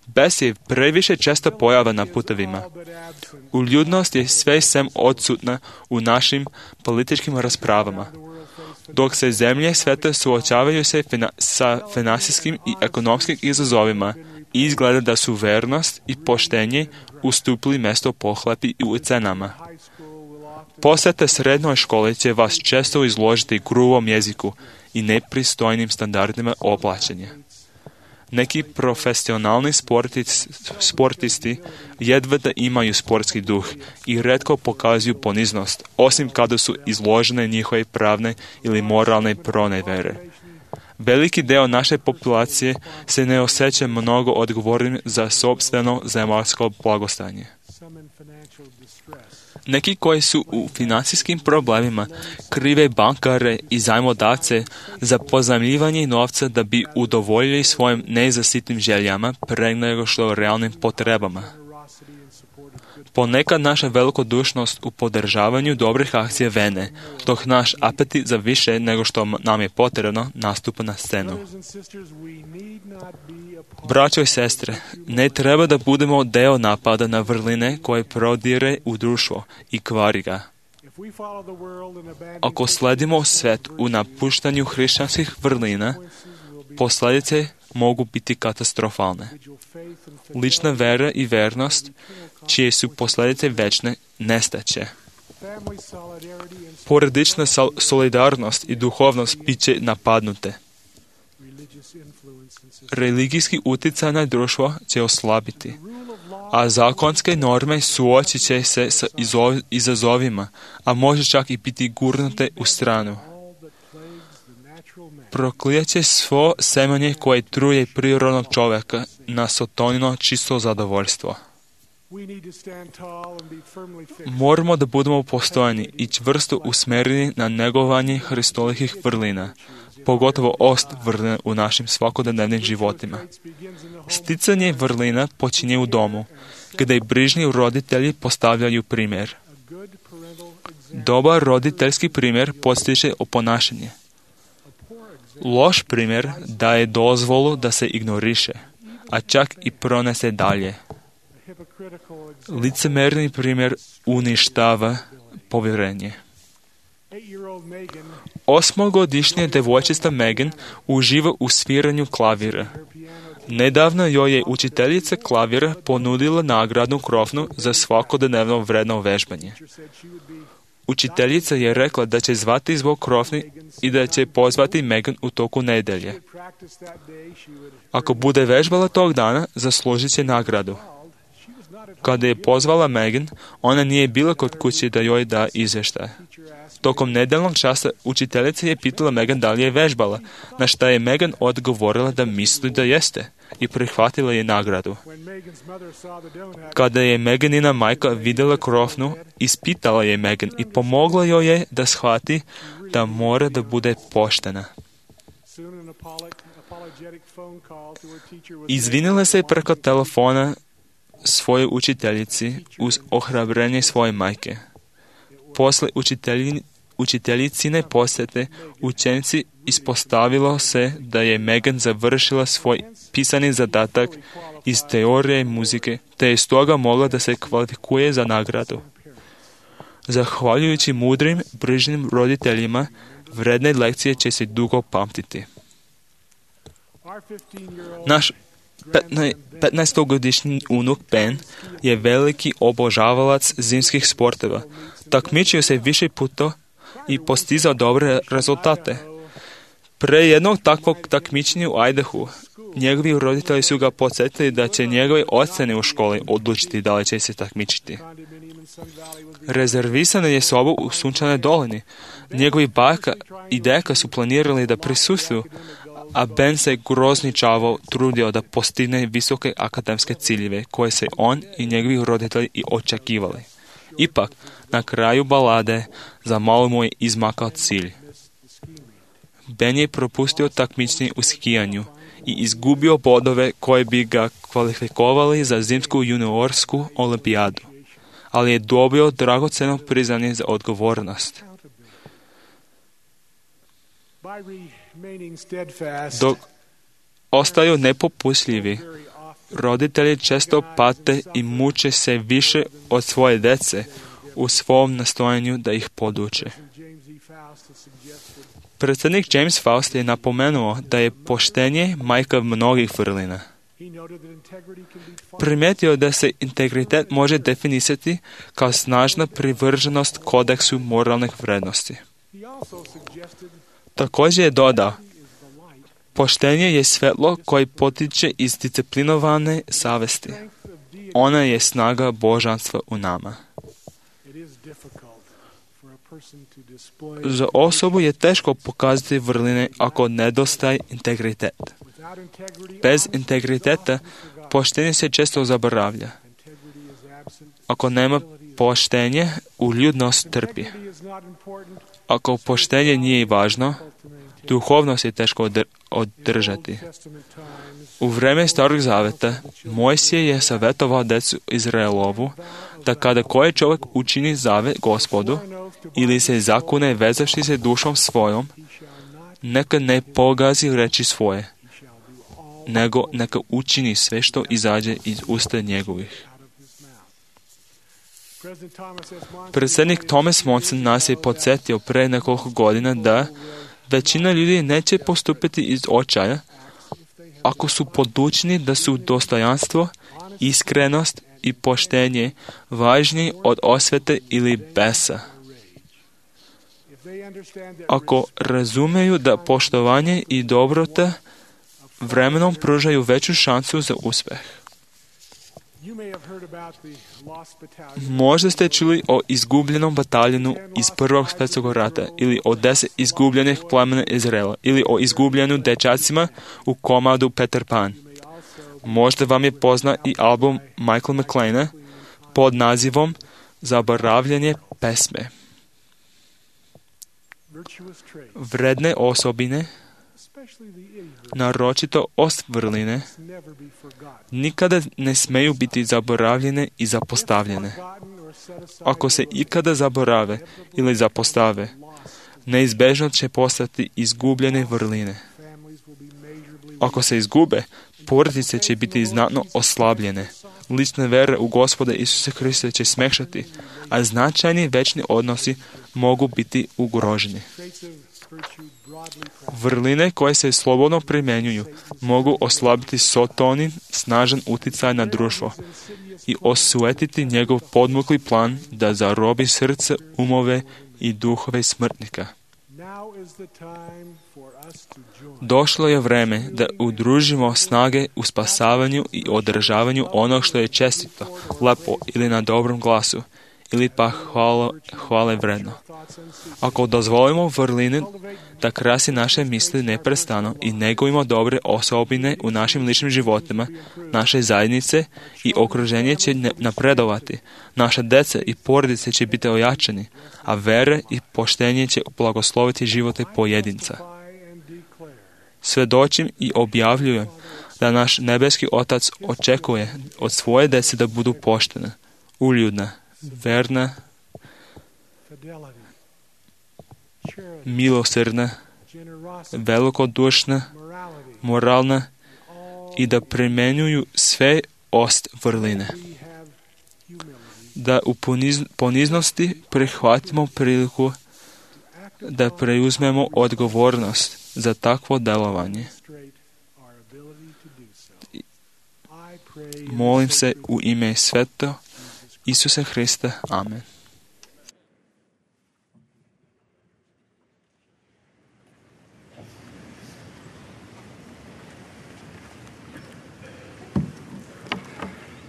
Bes je previše česta pojava na putovima. Uljudnost je sve sem odsutna u našim političkim raspravama. Dok se zemlje sveta suočavaju se sa finansijskim i ekonomskim izazovima, izgleda da su vernost i poštenje ustupili mjesto pohlepi i ucenama. Posjeta srednjoj školi će vas često izložiti gruvom jeziku i nepristojnim standardima oblačenja. Neki profesionalni sportisti jedva da imaju sportski duh i retko pokazuju poniznost, osim kada su izložene njihove pravne ili moralne pronevere. Veliki deo naše populacije se ne osjeća mnogo odgovornim za sopstveno zemaljsko blagostanje. Neki koji su u financijskim problemima krive bankare i zajmodavce za pozajmljivanje novca da bi udovoljili svojim nezasitnim željama pre nego što realnim potrebama. Ponekad naša velikodušnost u podržavanju dobrih akcija vene, dok naš apetit za više nego što nam je potrebno nastupa na scenu. Braćo i sestre, ne treba da budemo deo napada na vrline koje prodire u društvo i kvari ga. Ako sledimo svet u napuštanju hrišćanskih vrlina, posljedice mogu biti katastrofalne. Lična vera i vernost, čije su posljedice večne, nestaće. Porodična solidarnost i duhovnost bit će napadnute. Religijski utjecaj na društvo će oslabiti, a zakonske norme suočit će se sa izazovima, a može čak i biti gurnute u stranu. Proklijat će svo semenje koje truje prirodnog čovjeka na sotonino čisto zadovoljstvo. Moramo da budemo postojani i čvrsto usmjereni na negovanje Hristovih vrlina, pogotovo ost vrlina u našim svakodnevnim životima. Sticanje vrlina počinje u domu, gdje brižni roditelji postavljaju primjer. Dobar roditeljski primjer postiže o ponašanje. Loš primjer daje dozvolu da se ignoriše, a čak i pronese dalje. Licemerni primjer uništava povjerenje. 8-godišnja devojčica Megan uživa u sviranju klavira. Nedavno joj je učiteljica klavira ponudila nagradnu krofnu za svakodnevno vredno vežbanje. Učiteljica je rekla da će zvati zbog krofni i da će pozvati Megan u toku nedelje. Ako bude vežbala tog dana, zaslužit će nagradu. Kada je pozvala Megan, ona nije bila kod kuće da joj da izvještaj. Tokom nedeljnog časa učiteljica je pitala Megan da li je vežbala, na šta je Megan odgovorila da misli da jeste i prihvatila je nagradu. Kada je Meganina majka vidjela krofnu, ispitala je Megan i pomogla joj je da shvati da mora da bude poštena. Izvinila se preko telefona svojoj učiteljici uz ohrabrenje svoje majke. Posle učiteljicine posjete, učenici ispostavilo se da je Megan završila svoj pisani zadatak iz teorije muzike, te je stoga mogla da se kvalifikuje za nagradu. Zahvaljujući mudrim, brižnim roditeljima, vredne lekcije će se dugo pamtiti. Naš 15-godišnji unuk Ben je veliki obožavalac zimskih sportova. Takmičio se više puta i postizao dobre rezultate. Pre jednog takvog takmičenja u Idahu, njegovi roditelji su ga podsjetili da će njegove ocene u školi odlučiti da li će se takmičiti. Rezervisana je soba u Sunčanoj dolini. Njegovi baka i deka su planirali da prisustvuju, a Ben se grozničavo trudio da postigne visoke akademske ciljeve koje se on i njegovi roditelji i očekivali. Ipak, na kraju balade za malo mu je izmakao cilj. Ben je propustio takmičenje u skijanju i izgubio bodove koje bi ga kvalifikovali za zimsku juniorsku olimpijadu, ali je dobio dragoceno priznanje za odgovornost. Dok ostaju nepopustljivi, roditelji često pate i muče se više od svoje dece u svom nastojanju da ih poduče. Predsjednik James Faust je napomenuo da je poštenje majka mnogih vrlina. Primijetio da se integritet može definisati kao snažna privrženost kodeksu moralnih vrednosti. Također je dodao, poštenje je svjetlo koje potiče iz disciplinovane savesti. Ona je snaga božanstva u nama. Za osobu je teško pokazati vrline ako nedostaje integritet. Bez integriteta poštenje se često zaboravlja. Ako nema poštenja, uljudnost trpi. Ako poštenje nije važno, duhovnost je teško održati. U vreme Starog zaveta Mojsije je savjetovao djecu Izraelovu da kada koji čovjek učini zavet Gospodu ili se zakune vezavši se dušom svojom, neka ne pogazi reči svoje, nego neka učini sve što izađe iz usta njegovih. Predsjednik Thomas Monson nas je podsjetio pre nekoliko godina da većina ljudi neće postupiti iz očaja ako su podučeni da su dostojanstvo, iskrenost i poštenje važniji od osvete ili besa. Ako razumeju da poštovanje i dobrota vremenom pružaju veću šansu za uspjeh. Možda ste čuli o izgubljenom bataljonu iz Prvog svjetskog rata ili o 10 izgubljenih plemena Izraela ili o izgubljenu dečacima u komadu Peter Pan. Možda vam je poznat i album Michael McLeana pod nazivom Zaboravljanje pesme. Vredne osobine, naročito vrline, nikada ne smeju biti zaboravljene i zapostavljene. Ako se ikada zaborave ili zapostave, neizbežno će postati izgubljene vrline. Ako se izgube, porodice će biti znatno oslabljene. Lična vera u Gospoda Isusa Hrista će smekšati, a značajni večni odnosi mogu biti ugroženi. Vrline koje se slobodno primjenjuju mogu oslabiti Sotonin snažan utjecaj na društvo i osujetiti njegov podmukli plan da zarobi srce, umove i duhove smrtnika. Došlo je vreme da udružimo snage u spasavanju i održavanju onog što je čestito, lepo ili na dobrom glasu, ili pa hvale vredno. Ako dozvolimo vrline da krasi naše misli neprestano i negujemo dobre osobine u našim ličnim životima, naše zajednice i okruženje će napredovati, naša deca i porodice će biti ojačani, a vere i poštenje će blagosloviti živote pojedinca. Svedočim i objavljujem da naš nebeski Otac očekuje od svoje dece da budu poštene, uljudna, verna, milosrdna, velikodušna, moralna i da primjenjuju sve vrline. Da u poniznosti prihvatimo priliku da preuzmemo odgovornost za takvo delovanje. Molim se u ime Sveto Isusa Hrista. Amen.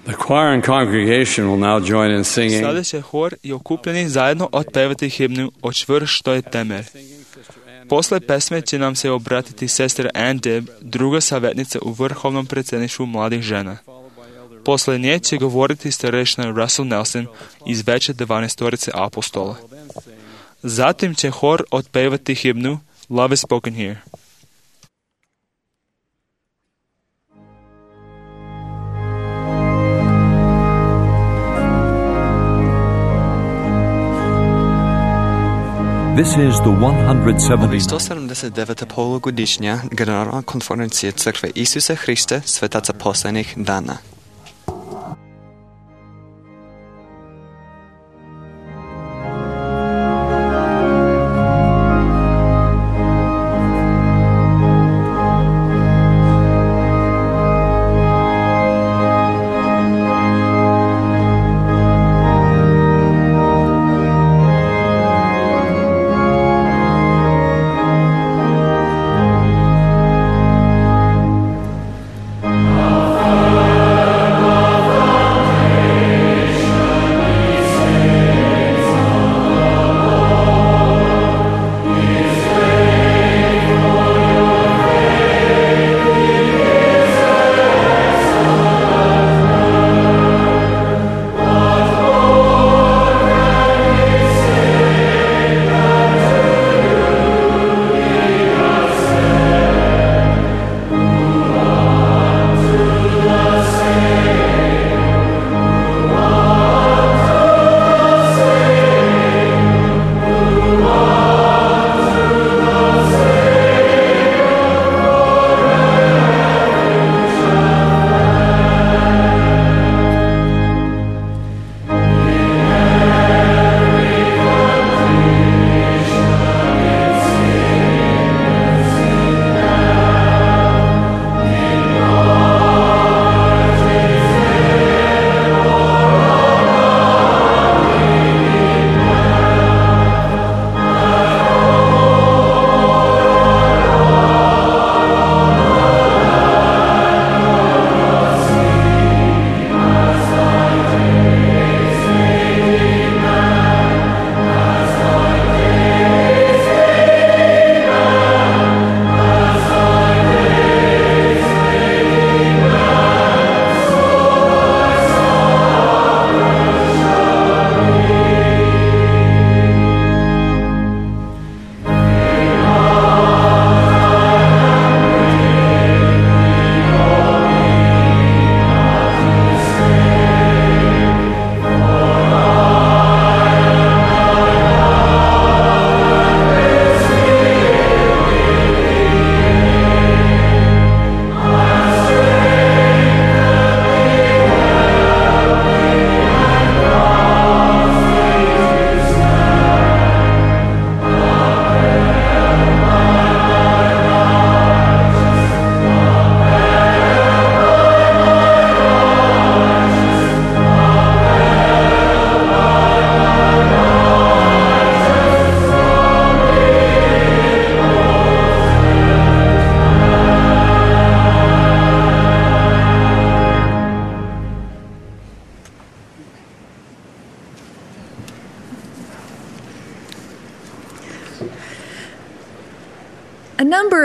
The choir and congregation will now join in singing. Sada će hor i okupljeni zajedno otpevati himnu O čvrst što je temelj. Posle pesme će nam se obratiti sestra Ann Dibb, druga savjetnica u vrhovnom predsjedništvu mladih žena. Posle nje će govoriti starešina Russell Nelson iz veće 12 apostola. Zatim će hor otpevati himnu Love is spoken here. This is the 179. polugodišnja Generalna konferencija Crkve Isusa Hrista Svetaca poslednjih dana. Amen.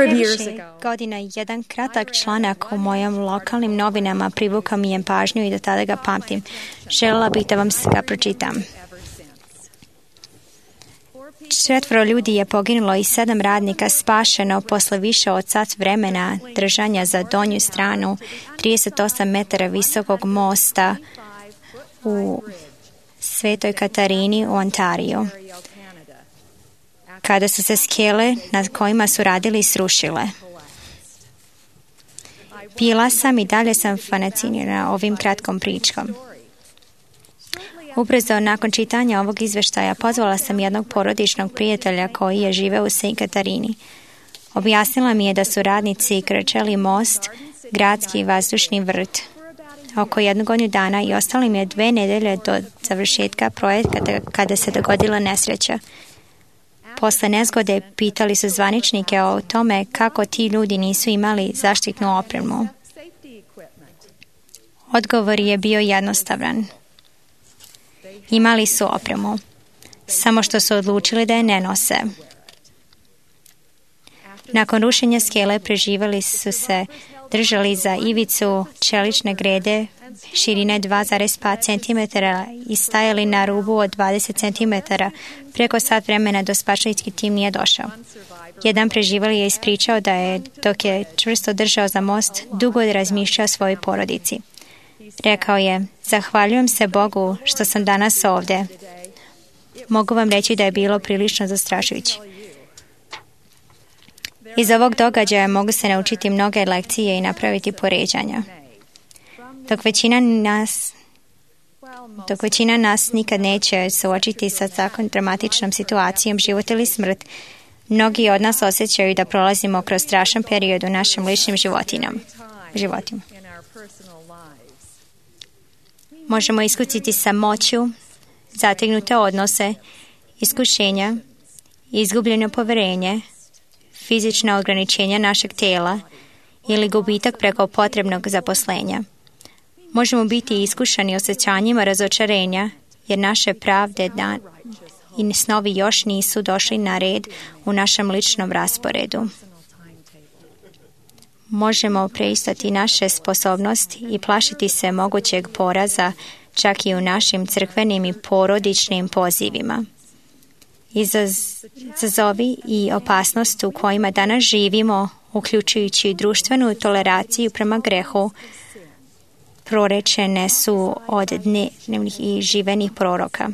Više godina jedan kratak članak u mojim lokalnim novinama privukao mi je pažnju i do tada ga pamtim. Željela bih da vam ga pročitam. 4 ljudi je poginulo i 7 radnika spašeno posle više od sat vremena držanja za donju stranu 38 metara visokog mosta u Svetoj Katarini u Ontariju, kada su se skele na kojima su radili srušile. Bila sam i dalje sam fascinirana ovim kratkom pričkom. Ubrzo nakon čitanja ovog izveštaja pozvala sam jednog porodičnog prijatelja koji je živeo u Svetoj Katarini. Objasnila mi je da su radnici krčeli most, gradski vazdušni vrt, oko 1 godinu dana i ostalo im je 2 nedelje do završetka projekta kada se dogodila nesreća. Posle nezgode pitali su zvaničnike o tome kako ti ljudi nisu imali zaštitnu opremu. Odgovor je bio jednostavan. Imali su opremu, samo što su odlučili da je ne nose. Nakon rušenja skele preživali su se držali za ivicu čelične grede širine 2,5 cm i stajali na rubu od 20 cm. Preko sat vremena do spašački tim nije došao. Jedan preživali je ispričao da je, dok je čvrsto držao za most, dugo razmišljao o svojoj porodici. Rekao je, zahvaljujem se Bogu što sam danas ovdje. Mogu vam reći da je bilo prilično zastrašujuće. Iz ovog događaja mogu se naučiti mnoge lekcije i napraviti poređanja. Dok većina nas nikad neće suočiti sa takvom dramatičnom situacijom život ili smrt, mnogi od nas osjećaju da prolazimo kroz strašan period u našim ličnim životima. Možemo iskusiti samoću, zategnute odnose, iskušenja, izgubljeno poverenje, fizična ograničenja našeg tela ili gubitak preko potrebnog zaposlenja. Možemo biti iskušani osjećanjima razočarenja jer naše pravde i snovi još nisu došli na red u našem ličnom rasporedu. Možemo preistati naše sposobnosti i plašiti se mogućeg poraza čak i u našim crkvenim i porodičnim pozivima. Izazovi i opasnost u kojima danas živimo, uključujući društvenu toleraciju prema grehu, prorečene su od dnevnih i živenih proroka.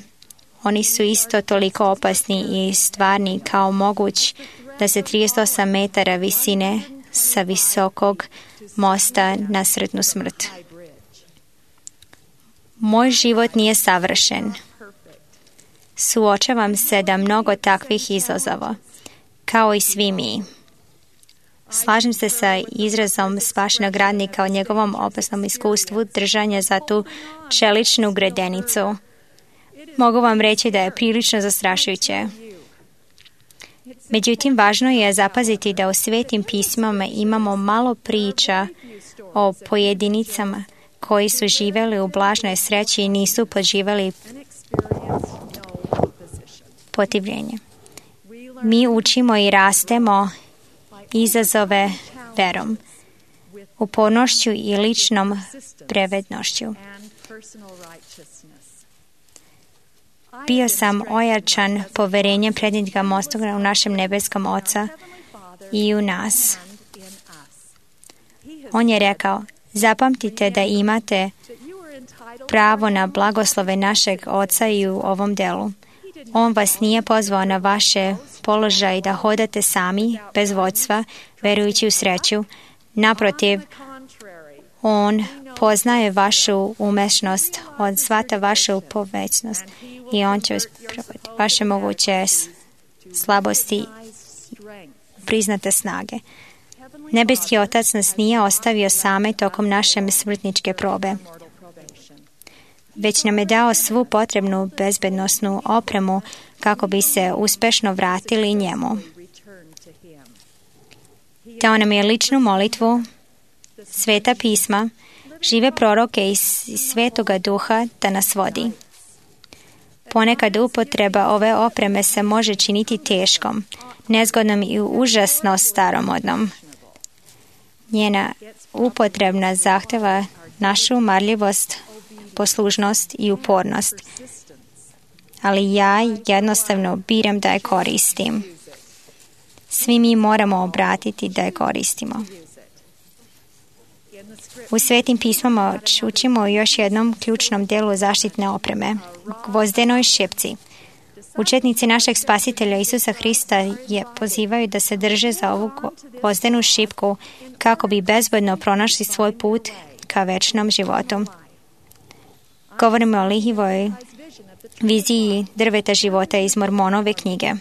Oni su isto toliko opasni i stvarni kao moguć da se 38 metara visine sa visokog mosta na sretnu smrt. Moj život nije savršen. Suočavam se da mnogo takvih izazova, kao i svi mi. Slažem se sa izrazom spašenog radnika o njegovom opasnom iskustvu držanja za tu čeličnu gredenicu. Mogu vam reći da je prilično zastrašujuće. Međutim, važno je zapaziti da u svetim pismama imamo malo priča o pojedinicama koji su živjeli u blažnoj sreći i nisu poživjeli protivljenje. Mi učimo i rastemo izazove verom, upornošću i ličnom prevednošću. Bio sam ojačan poverenjem prednika mostoga u našem nebeskom Oca i u nas. On je rekao, zapamtite da imate pravo na blagoslove našeg Oca i u ovom delu. On vas nije pozvao na vaše položaje da hodate sami, bez vodstva, verujući u sreću. Naprotiv, on poznaje vašu umešnost, on shvata vašu povećnost i on će uspraviti vaše moguće slabosti, priznate snage. Nebeski Otac nas nije ostavio same tokom naše smrtničke probe, već nam je dao svu potrebnu bezbednosnu opremu kako bi se uspešno vratili njemu. Dao nam je ličnu molitvu, sveta pisma, žive proroke i svetoga duha da nas vodi. Ponekad upotreba ove opreme se može činiti teškom, nezgodnom i užasno staromodnom. Njena upotrebna zahteva našu marljivost, poslušnost i upornost. Ali ja jednostavno biram da je koristim. Svi mi moramo obratiti da je koristimo. U Svetim pismama učimo o još jednom ključnom delu zaštitne opreme, gvozdenoj šipci. Učetnici našeg Spasitelja Isusa Hrista pozivaju da se drže za ovu gvozdenu šipku kako bi bezbedno pronašli svoj put ka večnom životu. Govorimo o Lihivoj viziji drveta života iz Mormonove knjige.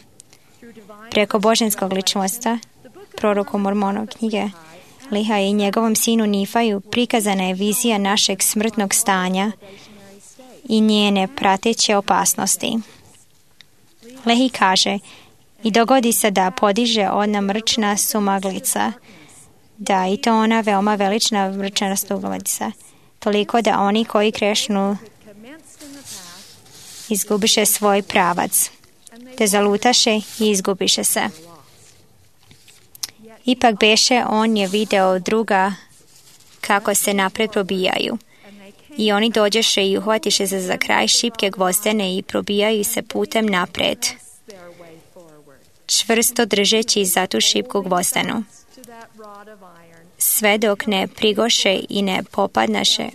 Preko božanskog ličnostva, proroku Mormonove knjige, Liha i njegovom sinu Nifaju prikazana je vizija našeg smrtnog stanja i njene prateće opasnosti. Lehi kaže, i dogodi se da podiže ona mrčna sumaglica, da i to ona veoma velična mrčna sumaglica, toliko da oni koji krešnu izgubiše svoj pravac, te zalutaše i izgubiše se. Ipak beše on je video druga kako se napred probijaju. I oni dođeše i uhvatiše se za kraj šipke gvozdene i probijaju se putem napred, čvrsto držeći za tu šipku gvozdenu, sve dok ne prigoše i ne popadnaše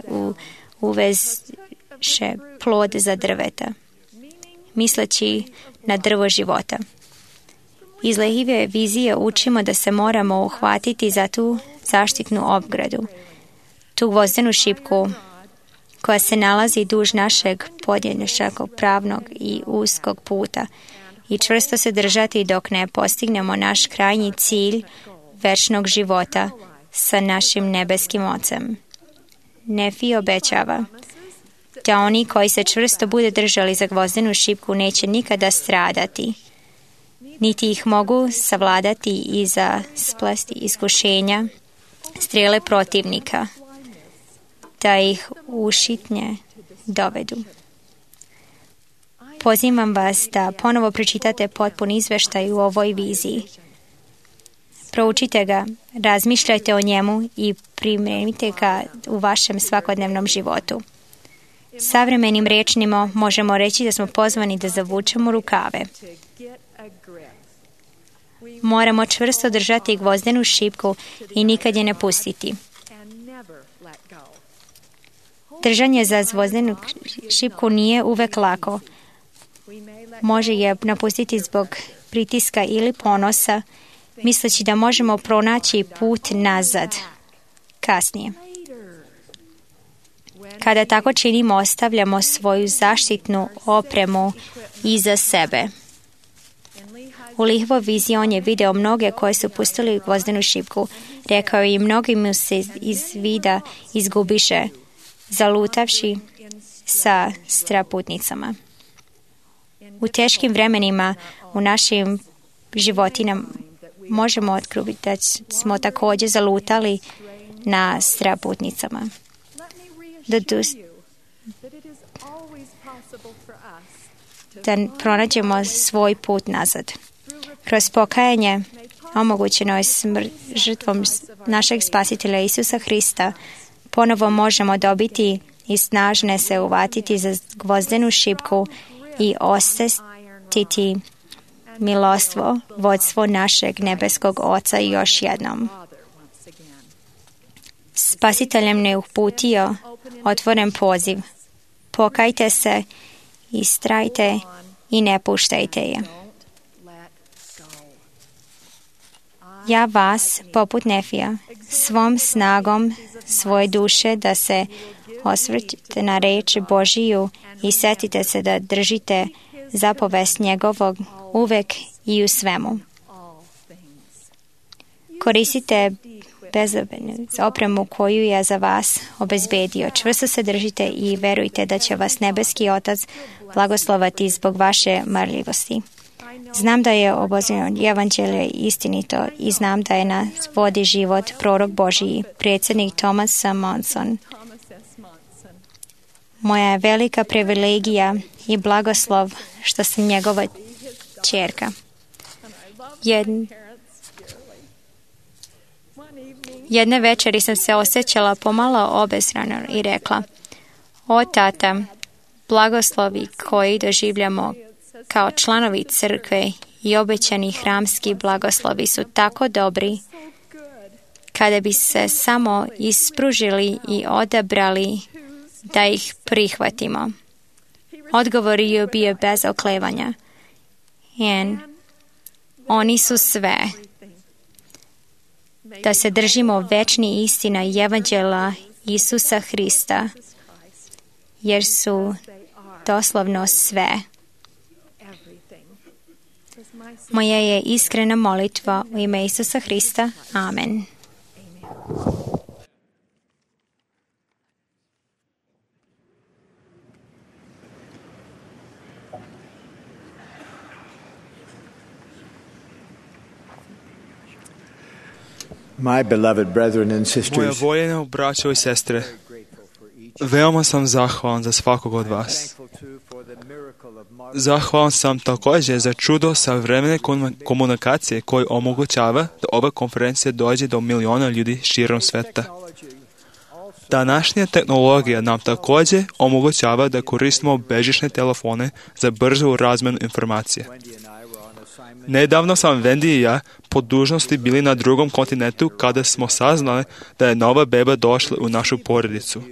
uveže plod za drveta, misleći na drvo života. Iz Lehive vizije učimo da se moramo uhvatiti za tu zaštitnu ogradu, tu gvozdenu šipku koja se nalazi duž našeg podjednačakog pravnog i uskog puta i čvrsto se držati dok ne postignemo naš krajnji cilj večnog života sa našim nebeskim Ocem. Nefi obećava da oni koji se čvrsto bude držali za gvozdenu šipku neće nikada stradati, niti ih mogu savladati i za splesti iskušenja, strele protivnika, da ih ušitnje dovedu. Pozivam vas da ponovo pročitate potpun izveštaj u ovoj viziji. Proučite ga, razmišljajte o njemu i primenite ga u vašem svakodnevnom životu. Savremenim rečnima možemo reći da smo pozvani da zavučemo rukave. Moramo čvrsto držati gvozdenu šipku i nikad je ne pustiti. Držanje za gvozdenu šipku nije uvek lako. Može je napustiti zbog pritiska ili ponosa, misleći da možemo pronaći put nazad kasnije. Kada tako činimo, ostavljamo svoju zaštitnu opremu iza sebe. U Lihovoj viziji on je video mnoge koje su pustili gvozdenu šipku. Rekao je i mnogi mu se iz vida izgubiše, zalutavši sa straputnicama. U teškim vremenima u našim životinama možemo otkriti da smo također zalutali na straputnicama. Da pronađemo svoj put nazad. Kroz pokajanje omogućeno je žrtvom našeg Spasitelja Isusa Hrista ponovo možemo dobiti i snažne se uvatiti za gvozdenu šipku i osjetiti milostvo, vodstvo našeg nebeskog Oca još jednom. Spasiteljem ne uputio otvoren poziv. Pokajte se, istrajte i ne puštajte je. Ja vas, poput Nefija, svom snagom svoje duše da se osvrćete na reč Božiju i setite se da držite zapovest njegovog uvek i u svemu. Koristite bezobednu opremu koju je za vas obezbedio. Čvrsto se držite i verujte da će vas nebeski Otac blagoslovati zbog vaše marljivosti. Znam da je obožavanje evanđelje istinito i znam da je nas vodi život prorok Božiji, predsjednik Thomas Monson. Moja je velika privilegija i blagoslov što sam njegova ćerka. Jedne večeri sam se osjećala pomalo obezrano i rekla: o tata, blagoslovi koji doživljamo kao članovi crkve i obećani hramski blagoslovi su tako dobri kada bi se samo ispružili i odabrali da ih prihvatimo. Odgovor je bio bez oklevanja. Oni su sve. Da se držimo večni istina i evanđela Isusa Hrista, jer su doslovno sve. Moja je iskrena molitva u ime Isusa Hrista. Amen. My beloved brethren and Moja sisters, voljena braćo i sestre, veoma sam zahvalan za svakog od vas. Zahvalan sam također za čudo savremene komunikacije koji omogućava da ova konferencija dođe do miliona ljudi širom sveta. Današnja tehnologija nam također omogućava da koristimo bežične telefone za brzu razmjenu informacije. Nedavno sam Wendy i ja po dužnosti bili na drugom kontinentu kada smo saznali da je nova beba došla u našu porodicu.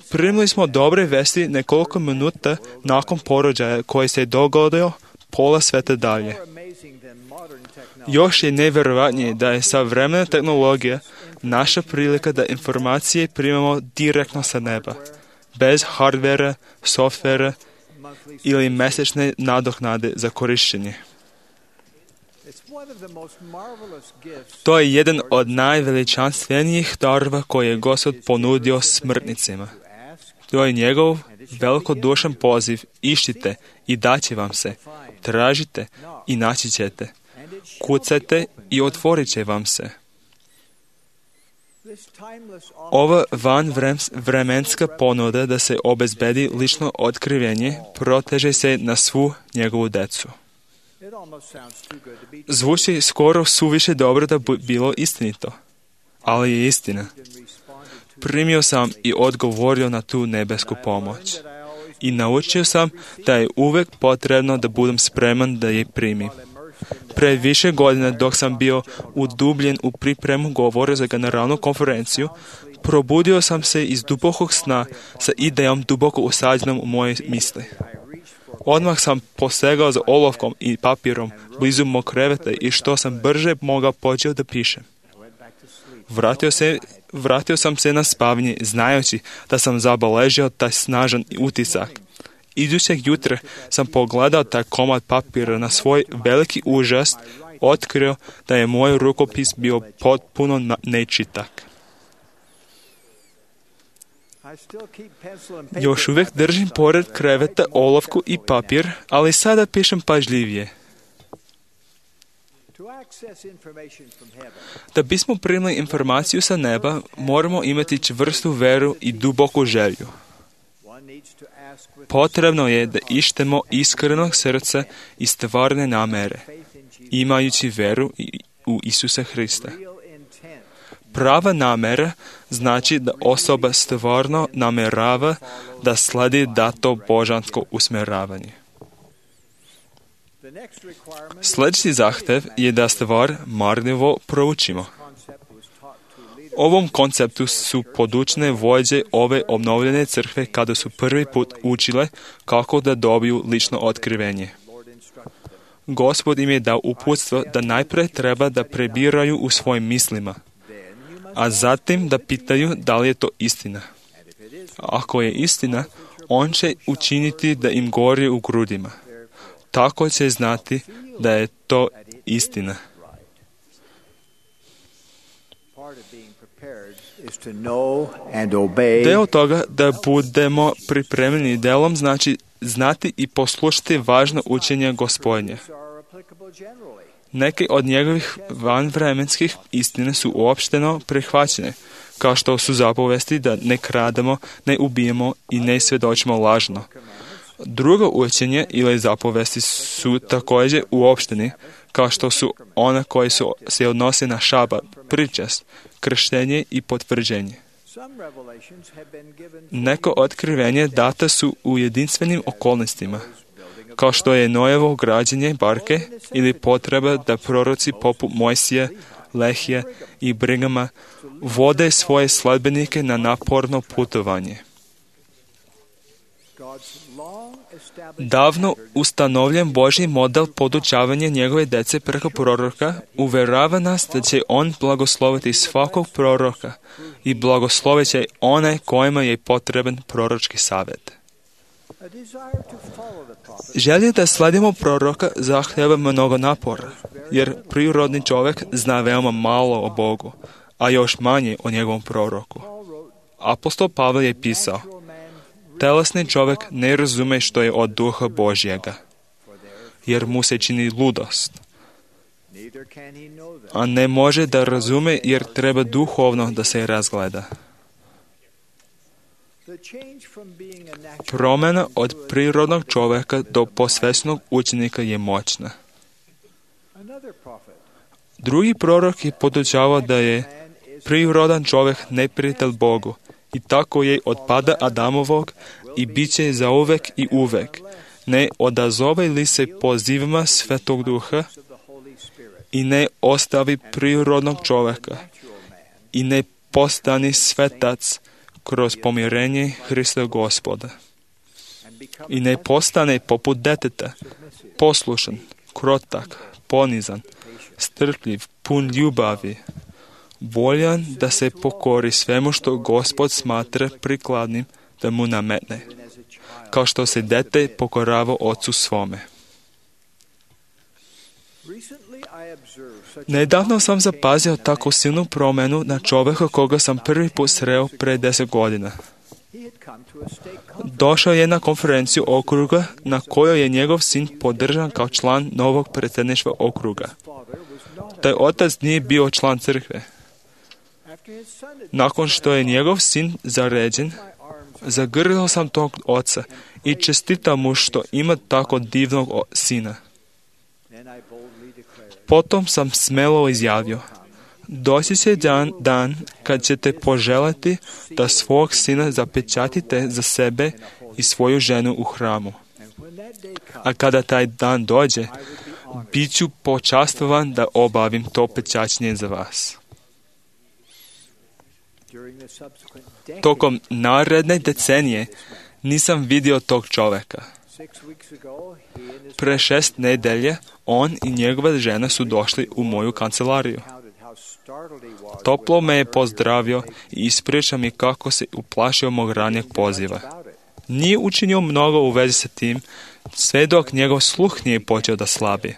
Primili smo dobre vesti nekoliko minuta nakon porođaja koji se dogodio pola sveta dalje. Još je nevjerojatnije da je savremena tehnologija naša prilika da informacije primamo direktno sa neba, bez hardvera, softvera ili mesečne nadoknade za korištenje. To je jedan od najveličanstvenijih darova koje je Gospod ponudio smrtnicima. To je njegov velikodušan poziv: iščite i daće vam se, tražite i naći ćete, kucajte i otvorit će vam se. Ova vanvremenska ponuda da se obezbedi lično otkrivenje proteže se na svu njegovu decu. Zvuči skoro suviše dobro da bi bilo istinito, ali je istina. Primio sam i odgovorio na tu nebesku pomoć. I naučio sam da je uvijek potrebno da budem spreman da je primim. Pre više godina, dok sam bio udubljen u pripremu govora za generalnu konferenciju, probudio sam se iz dubokog sna sa idejom duboko usađenom u moje misli. Odmah sam posegao za olovkom i papirom blizu mog kreveta i što sam brže mogao počeo da pišem. Vratio sam se na spavanje znajući da sam zabeležio taj snažan utisak. Idućeg jutra sam pogledao taj komad papira, na svoj veliki užas otkrio da je moj rukopis bio potpuno nečitak. Još uvijek držim pored kreveta olovku i papir, ali sada pišem pažljivije. Da bismo primili informaciju sa neba, moramo imati čvrstu veru i duboku želju. Potrebno je da ištemo iskrenog srca i stvarne namere, imajući veru u Isusa Hrista. Prava namera znači da osoba stvarno namerava da sledi dato božansko usmjeravanje. Sljedeći zahtev je da stvar marljivo proučimo. Ovom konceptu su podučene vođe ove obnovljene crkve kada su prvi put učile kako da dobiju lično otkrivenje. Gospod im je dao uputstvo da najprije treba da prebiraju u svojim mislima, a zatim da pitaju da li je to istina. Ako je istina, on će učiniti da im gori u grudima. Tako će znati da je to istina. Deo toga da budemo pripremljeni delom znači znati i poslušati važno učenje Gospodnje. Neke od njegovih vanvremenskih istine su uopšteno prihvaćene, kao što su zapovesti da ne krademo, ne ubijemo i ne svjedočimo lažno. Drugo učenje ili zapovesti su također uopšteni, kao što su one koje se odnose na šabat, pričest, krštenje i potvrđenje. Neko otkrivenje data su u jedinstvenim okolnostima, kao što je Nojevo građenje barke ili potreba da proroci poput Mojsija, Lehija i Brigama vode svoje sledbenike na naporno putovanje. Davno ustanovljen Božji model podučavanja njegove djece preko proroka uvjerava nas da će on blagosloviti svakog proroka i blagoslovit će one kojima je potreban proročki savjet. Želja da sledimo proroka zahtjeva mnogo napora, jer prirodni čovjek zna veoma malo o Bogu, a još manje o njegovom proroku. Apostol Pavel je pisao: telesni čovjek ne razume što je od duha Božjega, jer mu se čini ludost. A ne može da razume jer treba duhovno da se razgleda. Promjena od prirodnog čovjeka do posvećenog učenika je moćna. Drugi prorok je podučavao da je prirodan čovjek neprijatelj Bogu i tako je od pada Adamovog i bit će zauvek i uvek. Ne odazove li se pozivima Svetog Duha i ne ostavi prirodnog čovjeka i ne postani svetac kroz pomirenje Hrista Gospoda i ne postane poput deteta, poslušan, krotak, ponizan, strpljiv, pun ljubavi, voljan da se pokori svemu što Gospod smatra prikladnim da mu nametne, kao što se dete pokorava ocu svome. Nedavno sam zapazio tako silnu promjenu na čovjeka koga sam prvi put sreo pre 10 godina. Došao je na konferenciju okruga na kojoj je njegov sin podržan kao član novog predsjedništva okruga. Taj otac nije bio član crkve. Nakon što je njegov sin zaređen, zagrlio sam tog oca i čestitao mu što ima tako divnog sina. Potom sam smelo izjavio: doći će dan kad ćete poželiti da svog sina zapečatite za sebe i svoju ženu u hramu. A kada taj dan dođe, bit ću počastvovan da obavim to pečaćenje za vas. Tokom naredne decenije nisam vidio tog čovjeka. Pre 6 nedelje on i njegova žena su došli u moju kancelariju. Toplo me je pozdravio i ispričao mi kako se uplašio mog ranijeg poziva. Nije učinio mnogo u vezi sa tim, sve dok njegov sluh nije počeo da slabi.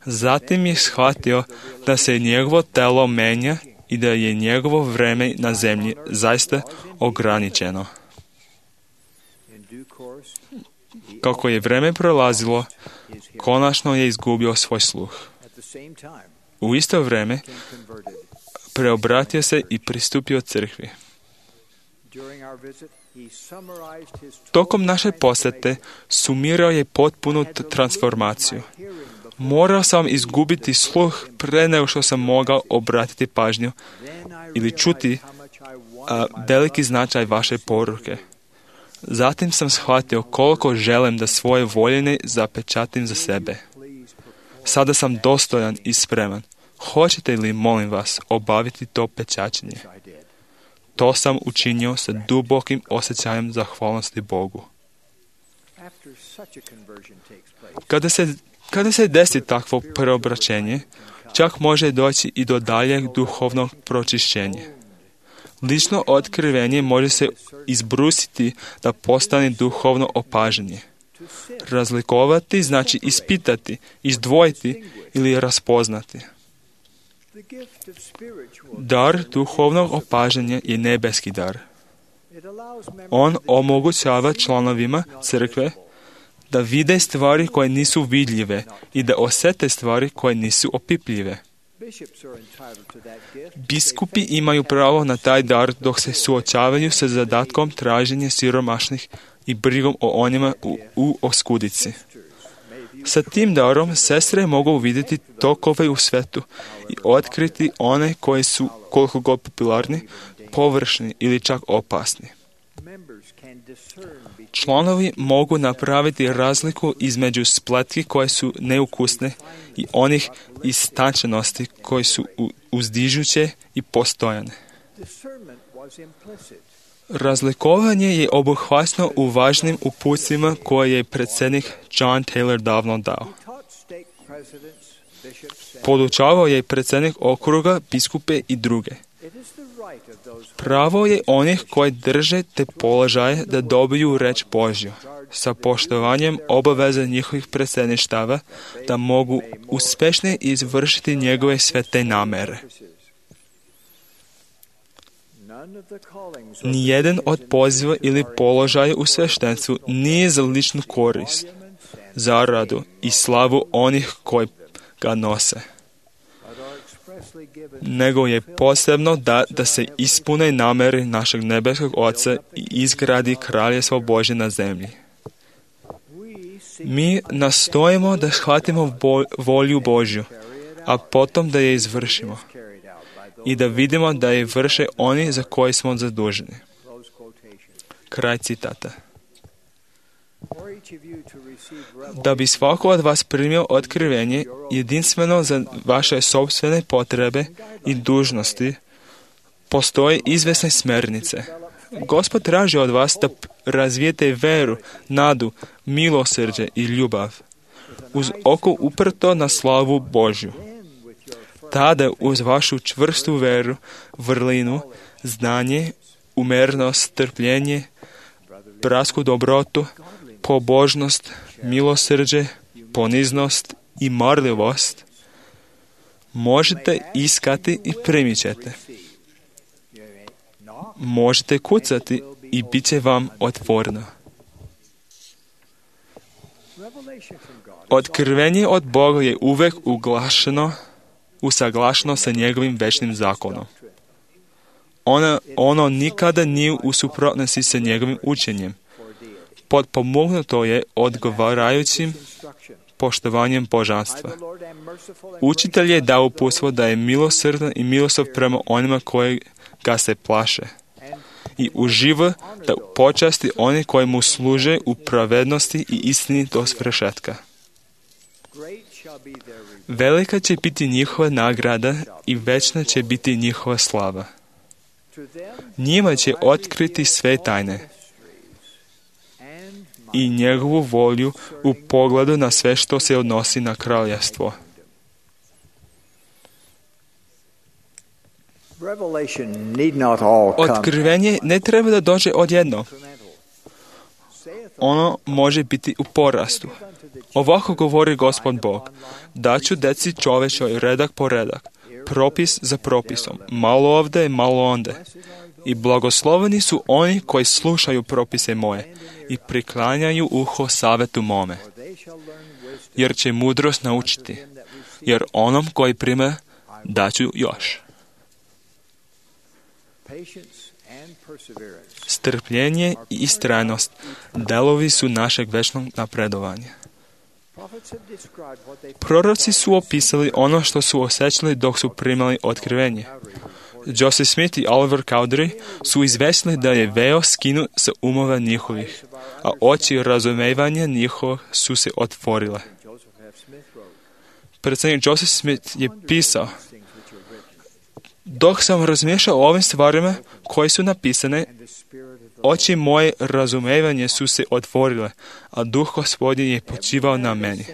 Zatim je shvatio da se njegovo telo menja i da je njegovo vreme na zemlji zaista ograničeno. Kako je vreme prolazilo, konačno je izgubio svoj sluh. U isto vrijeme preobratio se i pristupio crkvi. Tokom naše posjete sumirao je potpunu transformaciju. Morao sam izgubiti sluh pre nego što sam mogao obratiti pažnju ili čuti veliki značaj vaše poruke. Zatim sam shvatio koliko želim da svoje voljene zapečatim za sebe. Sada sam dostojan i spreman. Hoćete li, molim vas, obaviti to pečaćenje? To sam učinio sa dubokim osjećajem zahvalnosti Bogu. Kada se desi takvo preobraćenje, čak može doći i do daljeg duhovnog pročišćenja. Lično otkrivenje može se izbrusiti da postane duhovno opažanje. Razlikovati znači ispitati, izdvojiti ili raspoznati. Dar duhovnog opažanja je nebeski dar. On omogućava članovima crkve da vide stvari koje nisu vidljive i da osjete stvari koje nisu opipljive. Biskupi imaju pravo na taj dar dok se suočavaju sa zadatkom traženja siromašnih i brigom o onima u oskudici. Sa tim darom sestre mogu vidjeti tokove u svetu i otkriti one koji su koliko god popularni, površni ili čak opasni. Članovi mogu napraviti razliku između spletki koje su neukusne i onih istančenosti koje su uzdižuće i postojane. Razlikovanje je obuhvaćeno u važnim uputstvima koje je predsjednik John Taylor davno dao. Podučavao je predsjednik okruga, biskupe i druge. Pravo je onih koji drže te položaje da dobiju reč Božju, sa poštovanjem obaveza njihovih predsjedništava da mogu uspješno izvršiti njegove svete namere. Nijedan od poziva ili položaja u sveštenstvu nije za ličnu korist, zaradu i slavu onih koji ga nose, nego je posebno da se ispune namere našeg nebeskog Oca i izgradi kraljestvo Božje na zemlji. Mi nastojimo da shvatimo volju Božju, a potom da je izvršimo i da vidimo da je vrše oni za koje smo zaduženi. Kraj citata. Da bi svako od vas primio otkrivenje jedinstveno za vaše sopstvene potrebe i dužnosti, postoje izvesne smjernice. Gospod traži od vas da razvijete veru, nadu, milosrđe i ljubav, uz oko uprto na slavu Božju. Tada uz vašu čvrstu veru, vrlinu, znanje, umjernost, trpljenje, bratsku dobrotu, pobožnost, milosrđe, poniznost i marljivost možete iskati i primit ćete. Možete kucati i bit će vam otvoreno. Otkrivenje od Boga je uvek usaglašeno sa njegovim večnim zakonom. Ono nikada nije u suprotnosti sa njegovim učenjem. Potpomognuto je odgovarajućim poštovanjem božanstva. Učitelj je dao uputstvo da je milosrdan i milostiv prema onima koji ga se plaše i uživa da počasti one koji mu služe u pravednosti i istini do svršetka. Velika će biti njihova nagrada i večna će biti njihova slava. Njima će otkriti sve tajne i njegovu volju u pogledu na sve što se odnosi na kraljevstvo. Otkrivenje ne treba da dođe odjednom. Ono može biti u porastu. Ovako govori Gospod Bog: daću deci čovečoj redak po redak, propis za propisom, malo ovde, malo onde. I blagosloveni su oni koji slušaju propise moje i priklanjaju uho savetu mome, jer će mudrost naučiti, jer onom koji prime daću još. Strpljenje i istrajnost delovi su našeg večnog napredovanja. Proroci su opisali ono što su osjećali dok su primali otkrivenje. Joseph Smith i Oliver Cowdery su izvesili da je veo skinut sa umova njihovih, a oči razumevanja njihovih su se otvorile. Predsjednik Joseph Smith je pisao: dok sam razmišljao o ovim stvarima koje su napisane, oči moje razumevanje su se otvorile, a Duh Gospodnji je počivao na meni.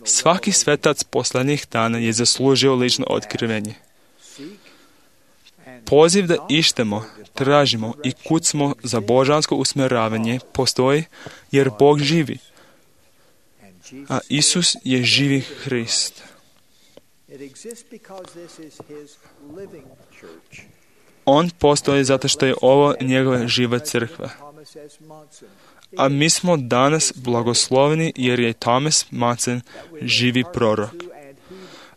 Svaki svetac posljednjih dana je zaslužio lično otkrivenje. Poziv da ištemo, tražimo i kucamo za božansko usmjeravanje postoji jer Bog živi, a Isus je živi Hrist. On postoji zato što je ovo njegova živa crkva. A mi smo danas blagosloveni jer je Thomas Monson živi prorok.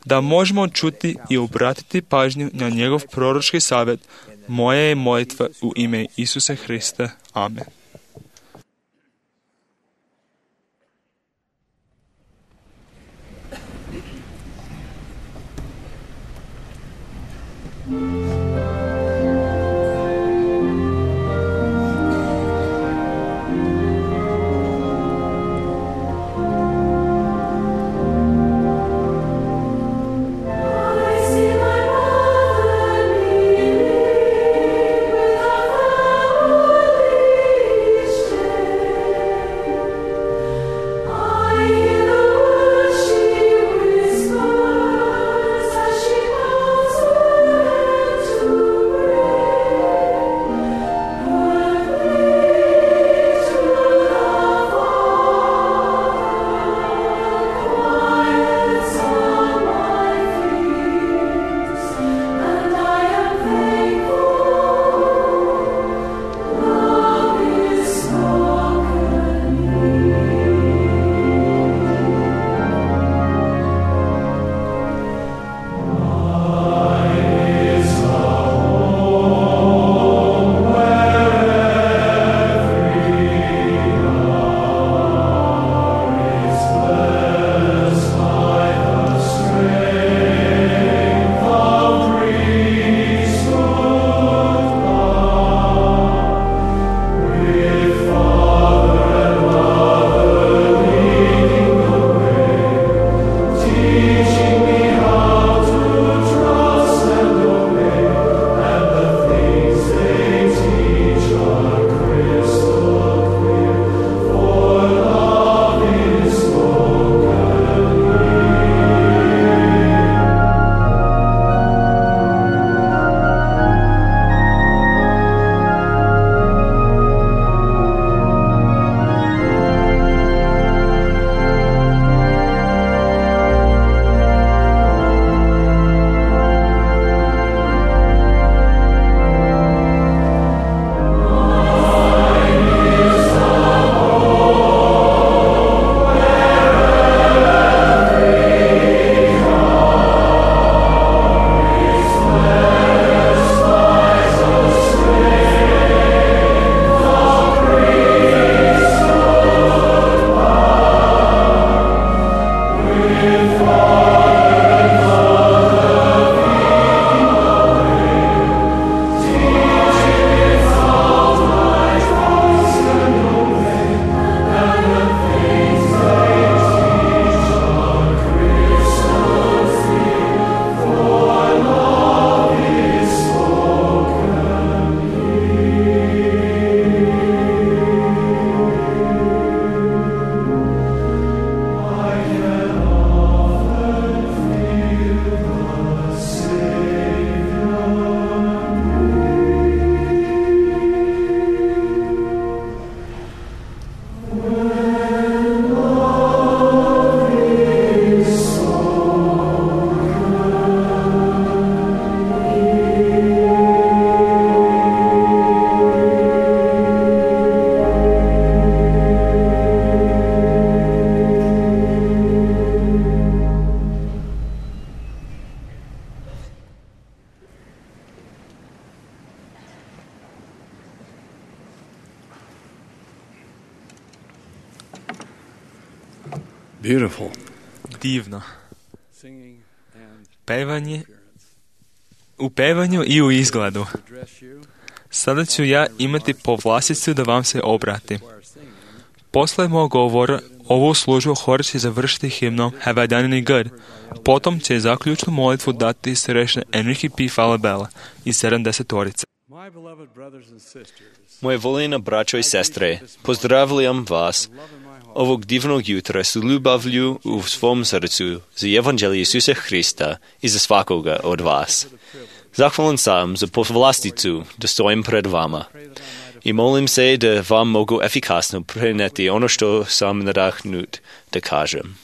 da možemo čuti i obratiti pažnju na njegov proročki savjet. Moja je molitva u ime Isusa Hrista. Amen. Beautiful. Divno. U pevanju i u izgledu. Sada ću ja imati povlasticu da vam se obratim. Posle mog govora ovu službu hor će završiti himnom Have I Done Any Good? Potom će zaključnu molitvu dati srečne Enrique P. Falabella iz 70-torice. Moje voljena braćo i sestre, pozdravljam vas ovog divnog jutra s ljubavlju u svom srcu za evanđelje Isusa Hrista i za svakoga od vas. Zahvalan sam za povlasticu da stojim pred vama i molim se da vam mogu efikasno preneti ono što sam nadahnut da kažem.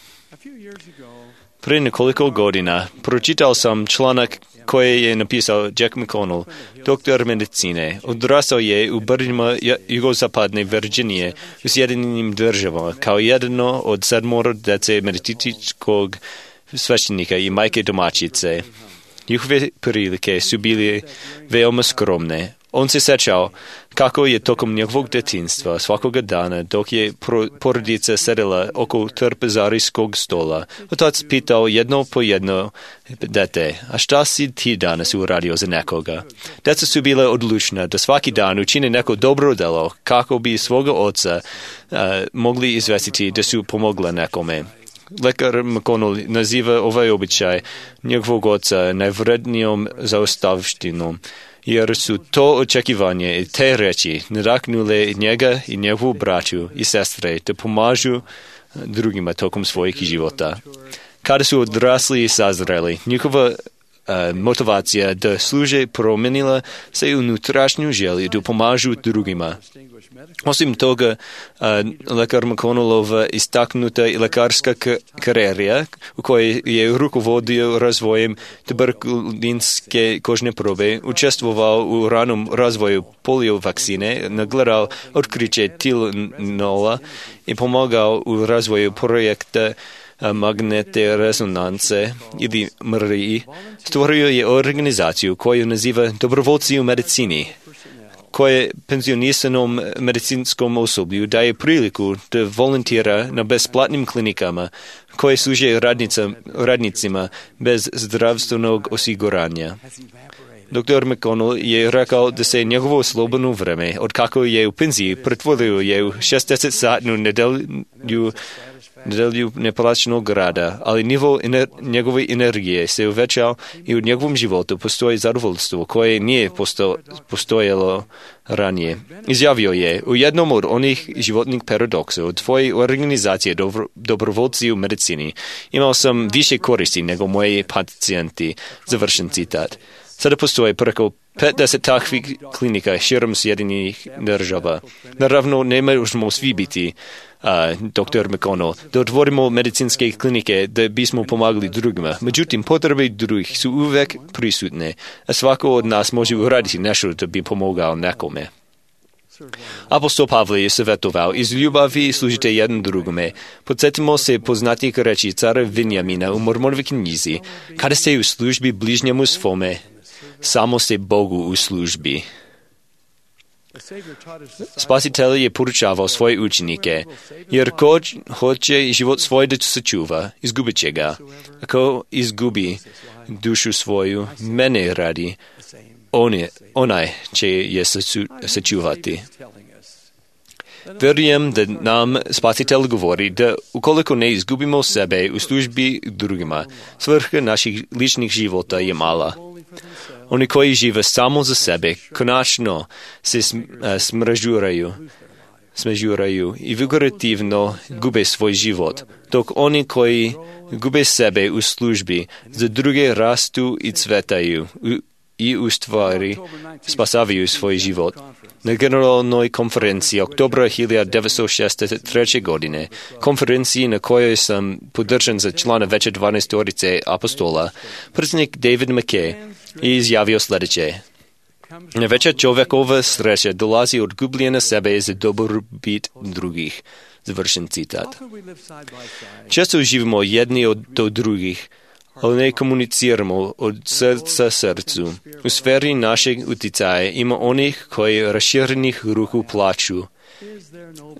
Prije nekoliko godina pročitao sam članak koji je napisao Jack McConnell, doktor medicine. Odrastao je u brdima jugozapadne Virginije u Sjedinjenim Državama kao jedno od 7 djece medicičkog sveštenika i majke domaćice. Njihove prilike su bile veoma skromne. On se sećao kako je tokom njegovog detinjstva svakoga dana, dok je porodica sedela oko trpezarijskog stola, otac pitao jedno po jedno dete, a šta si ti danas uradio za nekoga? Deca su bile odlučna da svaki dan učine neko dobro delo kako bi svoga oca mogli izvestiti da su pomogla nekome. Lekar McConnell naziva ovaj običaj njegovog oca najvrednijom zaostavštinom, jer su to očekivanje i te reči nadaknule njega i njegovu braću i sestre da pomažu drugima tokom svojih života. Kada su odrasli i sazreli, njihova motivacija da služe promenila se unutrašnju želju da pomažu drugima. Osim toga, lekar McConnellova istaknuta i lekarska karijera u kojoj je rukovodio razvojem tuberkulinske kožne probe, učestvovao u ranom razvoju polio vakcine, nagledao otkriće Tylenola i pomogao u razvoju projekta magnetne rezonance ili MRI, stvorio je organizaciju koju naziva Dobrovoljci u medicini, koje penzionisanom medicinskom osoblju daje priliku da volontira na besplatnim klinikama koje služe radnicima bez zdravstvenog osiguranja. Dr. McConnell je rekao da se njegovo slobodno vreme, od kako je u penziji, pretvorio je u 60-satnu nedelju neplaćenog rada, ali nivo njegove energije se uvećao i u njegovom životu postoji zadovoljstvo koje nije postojalo ranije. Izjavio je, u jednom od onih životnih paradoksa od tvoje organizacije Dobrovoljci u medicini imao sam više koristi nego moji pacijenti, završen citat. Sada postoje preko 50 takvih klinika širom Sjedinjenih država. Naravno, ne možemo svi biti dr. McConnell, da otvorimo medicinske klinike da bismo pomagali drugima. Međutim, potrebe drugih su uvek prisutne, a svako od nas može uraditi nešto da bi pomogao nekome. Apostol Pavle je savjetovao, iz ljubavi služite jedan drugome. Podsjetimo se poznatih reči cara Vinjamina u Mormonovoj knjizi, kada ste u službi bližnjemu svome, samo se Bogu u službi. Spasitelj je poručavao svoje učenike, jer ko hoće život svoj da sačuva, izgubit će ga. Ako izgubi dušu svoju, mene radi, onaj će je sačuvati. Vjerujem da nam Spasitelj govori da ukoliko ne izgubimo sebe u službi drugima, svrha naših ličnih života je mala. Oni koji žive samo za sebe, konačno se smežuraju i figurativno gube svoj život, dok oni koji gube sebe u službi za druge rastu i cvetaju i u stvari spasavaju svoj život. Na generalnoj konferenciji oktobra 1963. godine, konferenciji na kojoj sam podržan za člana veće 12 apostola, predsjednik David McKay je izjavio sljedeće. Najveća čovjekova sreća dolazi od gubljenja sebe za dobrobit drugih. Završen citat. Često živimo jedni od drugih, ali ne komuniciramo od srca srcu. U sferi našeg utjecaja ima onih koji raširenih ruku plaču.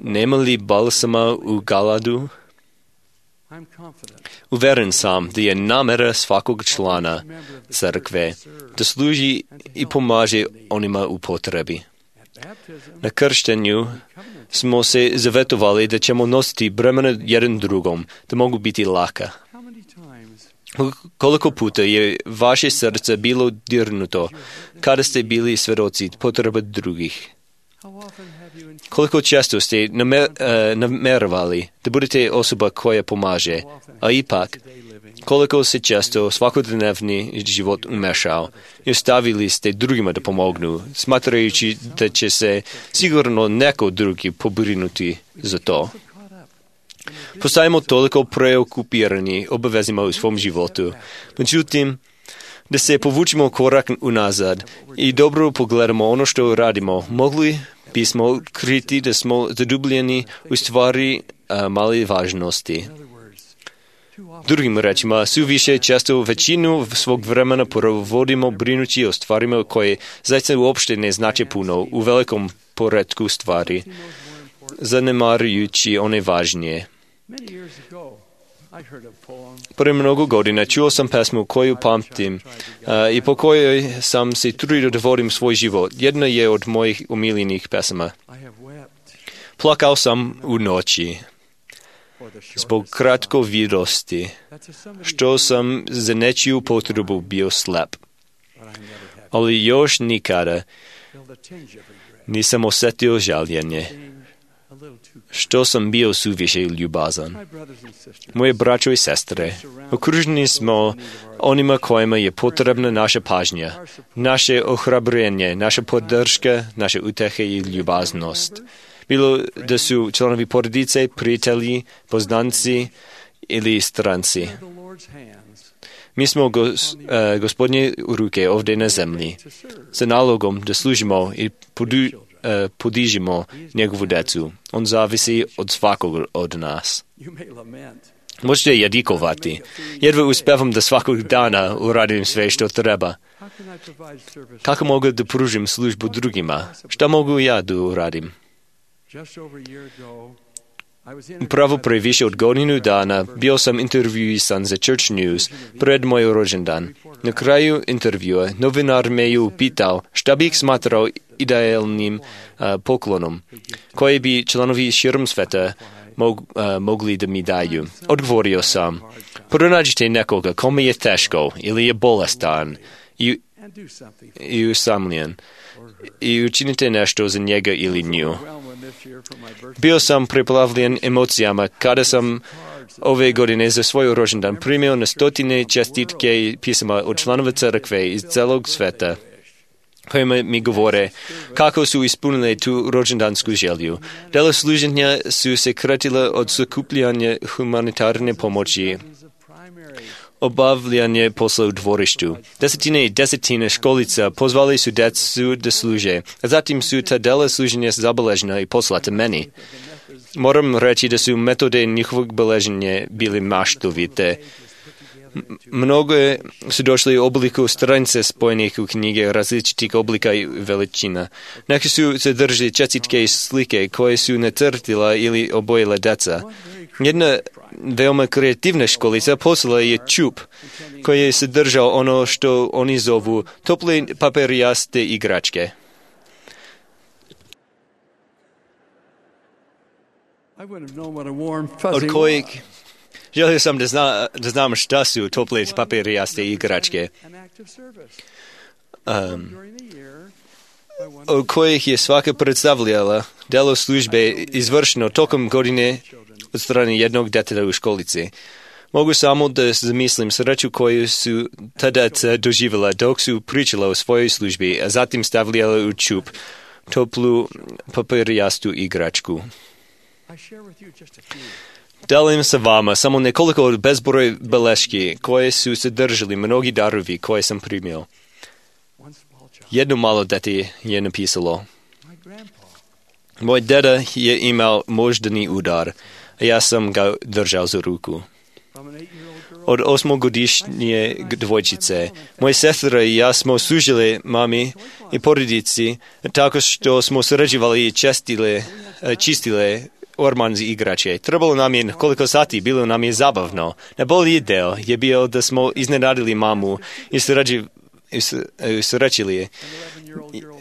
Nema li balsama u Galadu? Uveren sam da je namjera svakog člana crkve da služi i pomaže onima u potrebi. Na krštenju smo se zavetovali da ćemo nositi bremena jedan drugom, da mogu biti laka. Koliko puta je vaše srce bilo dirnuto kada ste bili svjedoci potreba drugih? Koliko često ste namjeravali da budete osoba koja pomaže, a ipak koliko se često svakodnevni život umešao i ostavili ste drugima da pomognu, smatrajući da će se sigurno neko drugi pobrinuti za to. Postajemo toliko preokupirani obavezima u svom životu. Međutim, da se povučimo korak unazad i dobro pogledamo ono što radimo, mogli bismo otkriti da smo zadubljeni u stvari male važnosti. Drugim rečima, suviše često većinu svog vremena provodimo brinući o stvarima koje zaista uopšte ne znače puno u velikom poretku stvari, zanemarujući one važnije. Pre mnogo godina čuo sam pesmu koju pamtim i po kojoj sam se trudio da vodim svoj život. Jedna je od mojih omiljenih pesama. Plakao sam u noći zbog kratkovidosti, što sam za nečiju potrebu bio slep. Ali još nikada nisam osjetio žaljenje, što sam bio suviše ljubazan. Moje braćo i sestre, okruženi smo onima kojima je potrebna naša pažnja, naše ohrabrenje, naša podrška, naše utehe i ljubaznost. Bilo da su članovi porodice, prijatelji, poznanci ili stranci. Mi smo Gospodnje ruke ovdje na zemlji, sa nalogom da služimo i podižimo njegovu decu. On zavisi od svakog od nas. Možete jadikovati. Jedva uspevam da svakog dana uradim sve što treba. Kako mogu da pružim službu drugima? Šta mogu ja da uradim? Upravo pre više od godinu dana bio sam intervjuisan za Church News pred moj rođendan. Na kraju intervjua novinar me je upitao šta bih smatrao idealnim poklonom, koji bi članovi širom sveta mogli da mi daju. Odgovorio sam, pronađite nekoga kome je teško ili je bolestan i usamljen i učinite nešto za njega ili nju. Bio sam preplavljen emocijama kada sam ove godine za svoj rođendan primio na stotine čestitke i pisama od članova crkve iz celog sveta, kojima mi govore kako su ispunili tu rođendansku želju. Dela služenja su se kratila od sakupljanja humanitarne pomoći, obavljanje posla u dvorištu. Desetine i desetine školica pozvali su decu da služe, a zatim su ta dela služenja zabeležena i poslata meni. Moram reći da su metode njihovog beleženja bili maštovite. Mnogo su došli u obliku stranice spojenih u knjige različitih oblika i veličina. Neki su sadržali čestitke i slike koje su nacrtila ili obojila deca. Jedna veoma kreativna školica poslala je čup koji je sadržao ono što oni zovu tople papirijaste igračke. Od kojeg želio sam da znam šta su tople papirijaste igračke. Od kojih je svaka predstavljala delo službe izvršeno tokom godine od strane jednog deteta u školici. Mogu samo da zamislim sreću koju su ta deca doživjela dok su pričala o svojoj službi, a zatim stavljala u čup toplu papirijastu igračku. Delim sa vama samo nekoliko od bezbroj beleški koje su sadržali mnogi darovi koje sam primio. Jedno malo dete je napisalo: moj deda je imao moždani udar, a ja sam ga držao za ruku. Od 8-godišnje dvojčice, moje sestre i ja smo služili mami i porodici tako što smo surađivali i čistile orman igrače. Trebalo nam je koliko sati, bilo nam je zabavno. Najbolji deo je bio da smo iznenadili mamu i srećili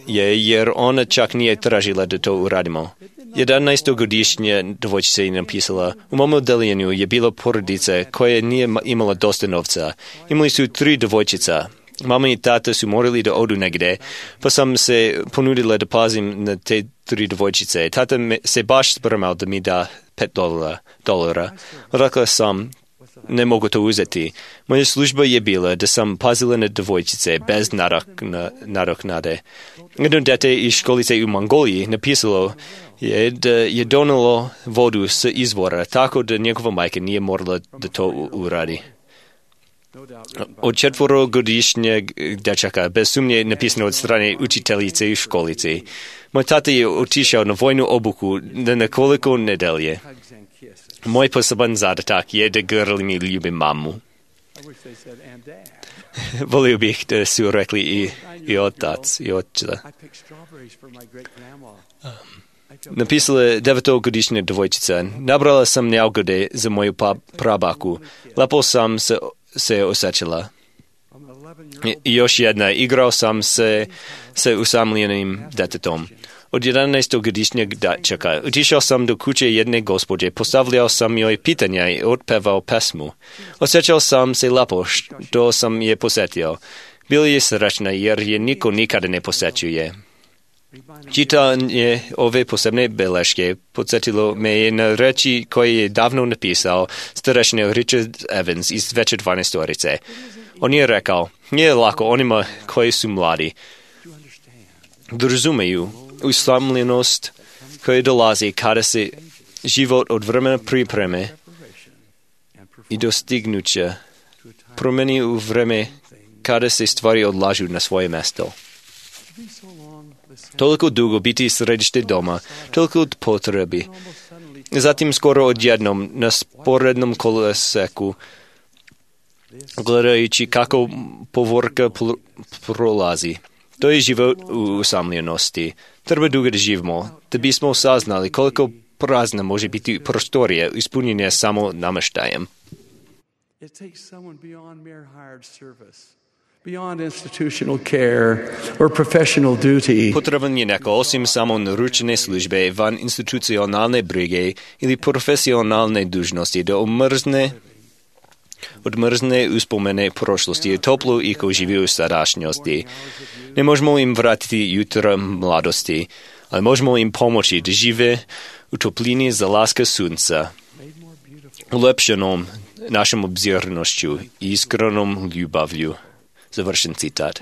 je, jer ona čak nije tražila da to uradimo. 11-godišnja dvojčica je napisala: u mom odeljenju je bila porodica koja nije imala dosta novca. Imali su 3 dvojčica. Mama i tata su morali da odu negde, pa sam se ponudila da pazim na te 3 dvojčice. Tata se baš spremao da mi da $5. Rekla sam, ne mogu to uzeti. Moja služba je bila da sam pazila na dvojčice bez nadoknade. Jedno dete iz školice u Mongoliji napisalo je da je donalo vodu sa izvora, tako da njegova majka nije morala da to uradi. Od 4-годишния дечака, безсумние написано от страни учителиce и школиce. Мой тата е отишъл на войну обуку на неколко недели. Мой посебен задатък е да гърли ми любим маму. Волил бих да си рекли и отец, и отчета. Написала 9-годишна девойчица. Набрала съм ягоди за мою прабаку. Лепо съм се усечила. И още една. Играл съм с усамленим дететом. От 11-годишния дечака. Отишъл съм до куче едне господи. Поставлял съм ей питания и отпевал песму. Усечил съм се лепо, що съм я посетил. Бил е срещна, jer je niko nikada ne posjećuje. Čitanje ove posebne beleške podsjetilo me je na reči koje je davno napisao starešina Richard Evans iz Veće 12-orice. On je rekao, nije lako onima koji su mladi da razumeju usamljenost koja dolazi kada se život od vremena pripreme i dostignuća promeni u vreme kada se stvari odlažu na svoje mesto. Toliko dugo biti središte doma, toliko od potrebi. Zatim skoro odjednom na sporednom koloseku, gledajući kako povorka prolazi. To je život u usamljenosti. Treba dugo da živimo, da bismo saznali koliko prazna može biti prostorija ispunjenja samo namještajem. Beyond institutional care or professional duty. Potreban je neko osim samo naručene službe van institucionalne brige ili profesionalne dužnosti da odmrzne uspomene prošlosti i toplu i ko živi u sadašnjosti. Ne možemo im vratiti jutra mladosti, ali možemo im pomoći da žive u toplini zalaska sunca, ulepšenom našom obzirnošću i iskrenom ljubavlju. Završen citat.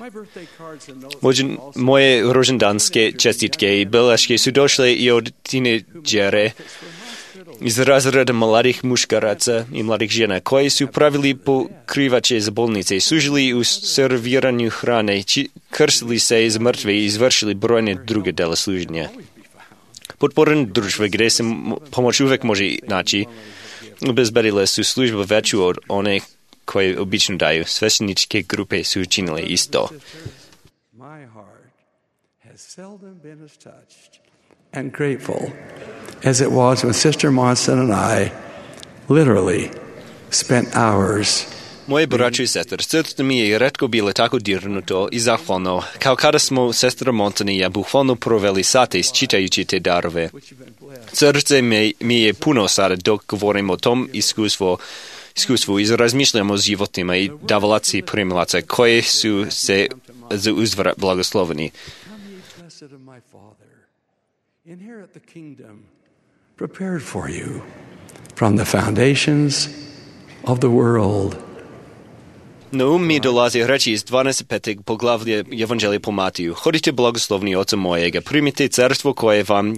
Moje rođendanske čestitke i beleške su došle i od tineđere iz razreda mladih muškaraca i mladih žena koji su pravili pokrivače za bolnice, služili u serviranju hrane, krstili se iz mrtve i izvršili brojne druge dela služenja. Podporne društva gdje se pomoć uvek može naći, obezbedile su službu veću od one koje obično daju. Svešteničke grupe su učinile isto. My heart has seldom been as touched and grateful as it was when Sister Monson and I literally spent hours. Moje braćo i sestre, srce mi je retko bilo tako dirnuto i zahvalno, kao kada smo sestra Monson i ja bukvalno proveli sate čitajući te darove. Srce mi je puno sada dok govorim o tom iskustvu i razmišljamo o životima i davalaci i primalaca koje su se za uzvrat blagosloveni. Inherit the kingdom prepared for you from the foundations of the world. Na mi dolazi reči iz 25. poglavlja Evanđelja po Matiju. Hodite blagoslovni Oca mojega, primite carstvo koje vam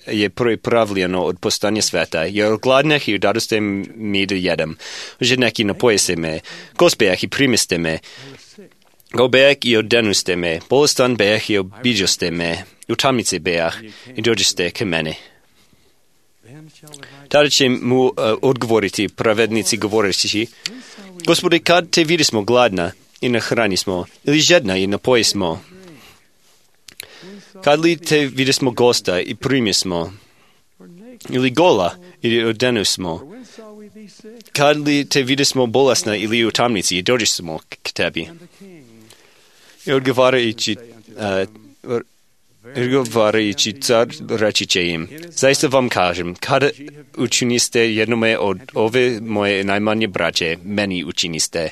je pripravljeno od postanja sveta, jer gladnih i dadoste mi da jedem. Žednek i napojeste me, gospejah i primiste me, gobejah i odenuste me, bolestan bejah i obiđoste me, u tamnici bejah i dođeste ke mene. Tada će mu odgovoriti pravednici govoreći, Gospodи, kad te vidismo gladna i nahranismo, ili žedna i napojismo? Kad li te vidismo gosta i primismo, ili gola i odenusmo? Kad li te vidismo bolesna ili u tamnici i dođismo k tebi? I odgovarajući car reći će im, zaista vam kažem, kada učiniste jednome od ove moje najmanje braće, meni učiniste.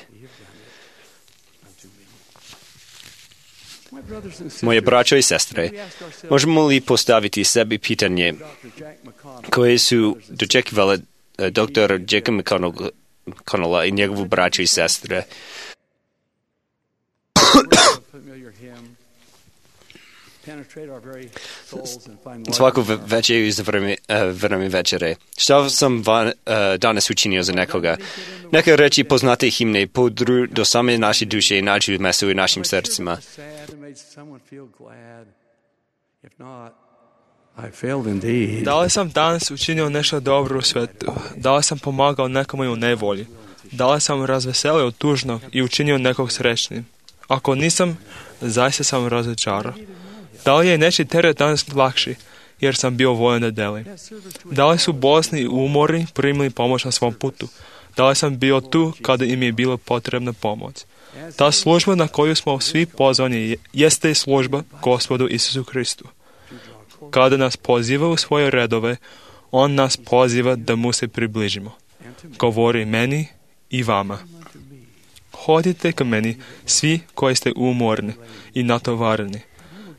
Moje braćo i sestre, možemo li postaviti sebi pitanje koje su dočekivale dr. Jacob McConnella i njegovu braću i sestre? svaku večer iz vreme večere. Što sam danas učinio za nekoga? Neka reći poznate himne podru do same naše duše i nađu mesto u našim srcima. Da li sam danas učinio nešto dobro u svetu? Da li sam pomagao nekome u nevolji? Da li sam razveselio tužnog i učinio nekog srećnim? Ako nisam, zaista sam razočarao. Da li je nečiji teret danas lakši, jer sam bio voljan da delim? Da li su bolesni i umorni primili pomoć na svom putu? Da li sam bio tu kada im je bila potrebna pomoć? Ta služba na koju smo svi pozvani jeste služba Gospodu Isusu Hristu. Kada nas poziva u svoje redove, On nas poziva da mu se približimo. Govori meni i vama. Hodite ka meni, svi koji ste umorni i natovareni,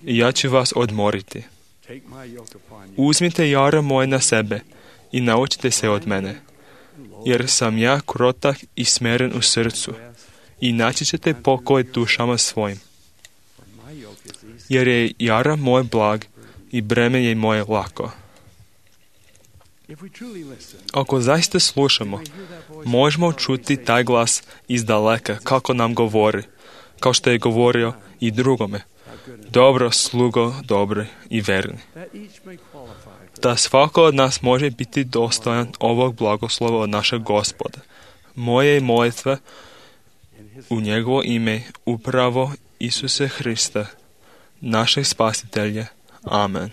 i ja ću vas odmoriti. Uzmite jara moje na sebe i naučite se od mene, jer sam ja krotak i smeren u srcu, i naći ćete pokoj dušama svojim. Jer je jara moj blag i breme je moje lako. Ako zaista slušamo, možemo čuti taj glas iz daleka kako nam govori, kao što je govorio i drugome. Dobro, slugo, dobri i verni. Da svako od nas može biti dostojan ovog blagoslova od našeg Gospoda. Moje molitve u njegovo ime upravo Isuse Hrista, našeg spasitelja. Amen.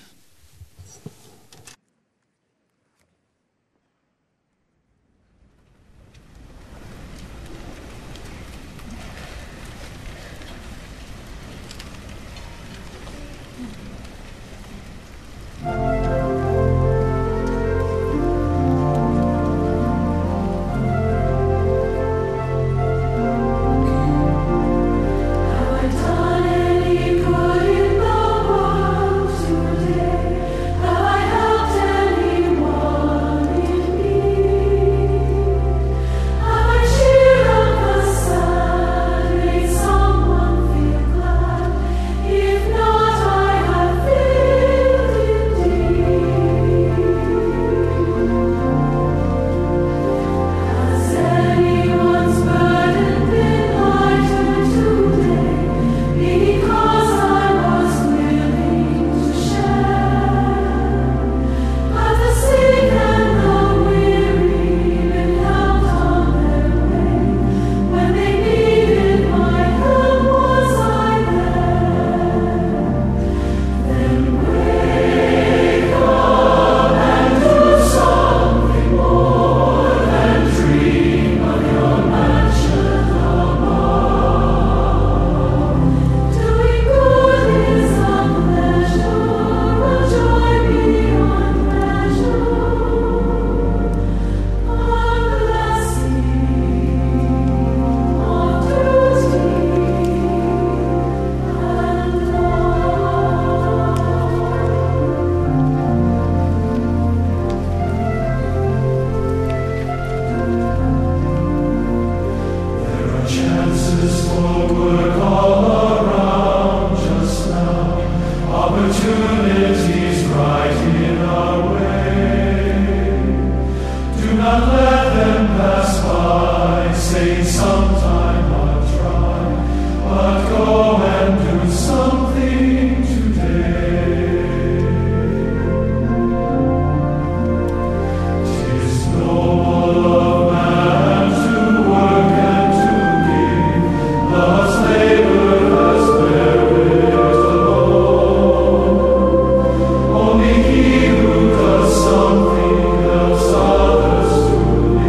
Only he who does something helps others to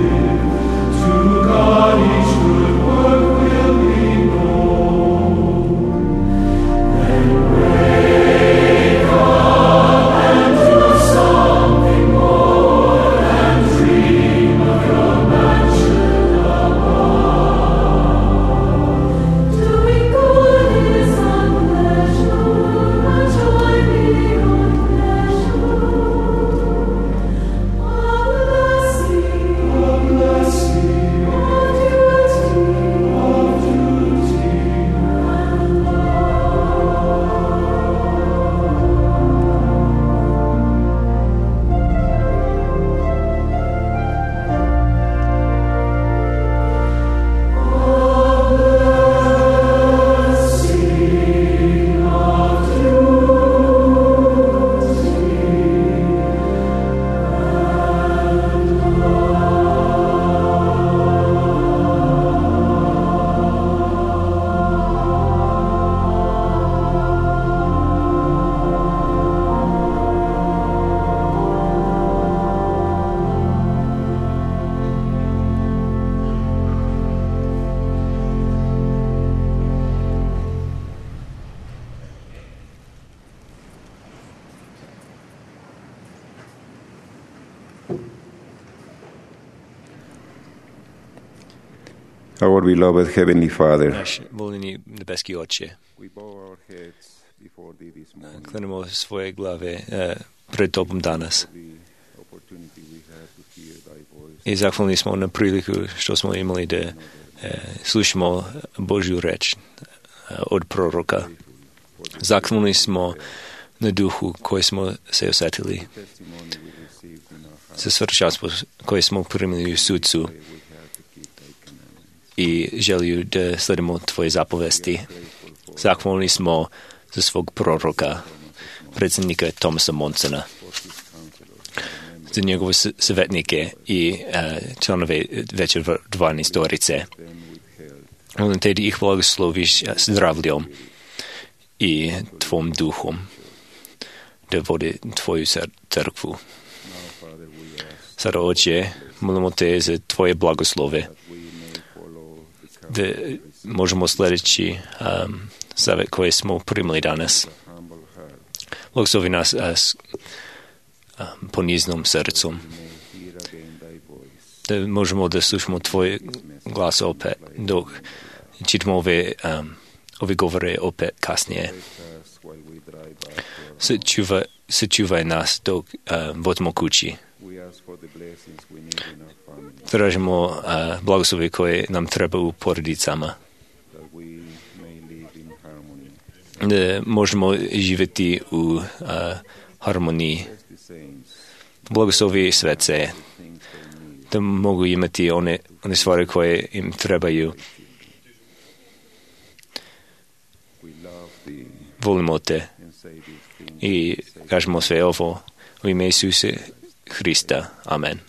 Our beloved Heavenly Father, Naš voleni nebeski Oče, we bow our heads before Thee this morning. klenemo svoje glave pred Tobom danas. I zahvalni smo na priliku što smo imali da slušamo Božju reč od proroka. Zahvalni smo na duhu koji smo se osjetili, za svršenstvo koje smo primili u sudcu i želju da sledimo Tvoje zapovesti. Zahvalni smo za svog proroka, predsjednika Thomasa Monsona, za njegove savjetnike i članove večerdvarne storice. Molim te da ih blagosloviš zdravljom i Tvom duhom, da vode Tvoju crkvu. Sada, Oče, molimo te za Tvoje blagoslove, da možemo sljedeći savjet koje smo primili danas. Blagoslovi nas s poniznom srcom, da možemo da slušamo Tvoj glas opet, dok čitamo ove govore opet kasnije. Sačuvaj nas dok vodimo kući. Tražimo blagoslovi koje nam treba u porodicama, da možemo živjeti u harmoniji. Blagoslovi svece, da mogu imati one stvari koje im trebaju. Volimo te i kažemo sve ovo u ime Isusa Hrista. Amen.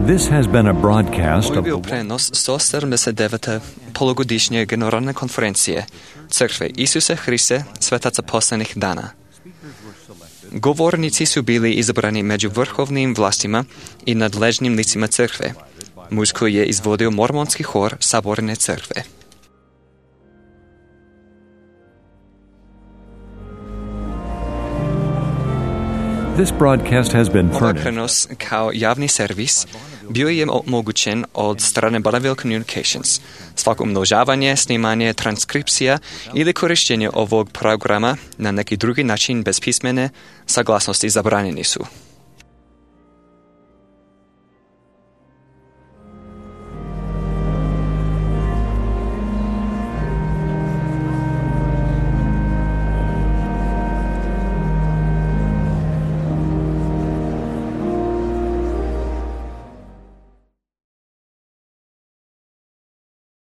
This has been a broadcast Ovo je of bio prenos 179. polugodišnje generalne konferencije Crkve Isuse Hriste Svetaca poslednjih dana. Govornici su bili izabrani među vrhovnim vlastima i nadležnim licima crkve. Muziku je izvodio mormonski hor Saborne crkve. This broadcast has been Ovaj furnished. prenos kao javni servis bio je omogućen od strane Bonneville Communications. Svako umnožavanje, snimanje, transkripcija ili korištenje ovog programa na neki drugi način bez pismene saglasnosti zabranjeni su.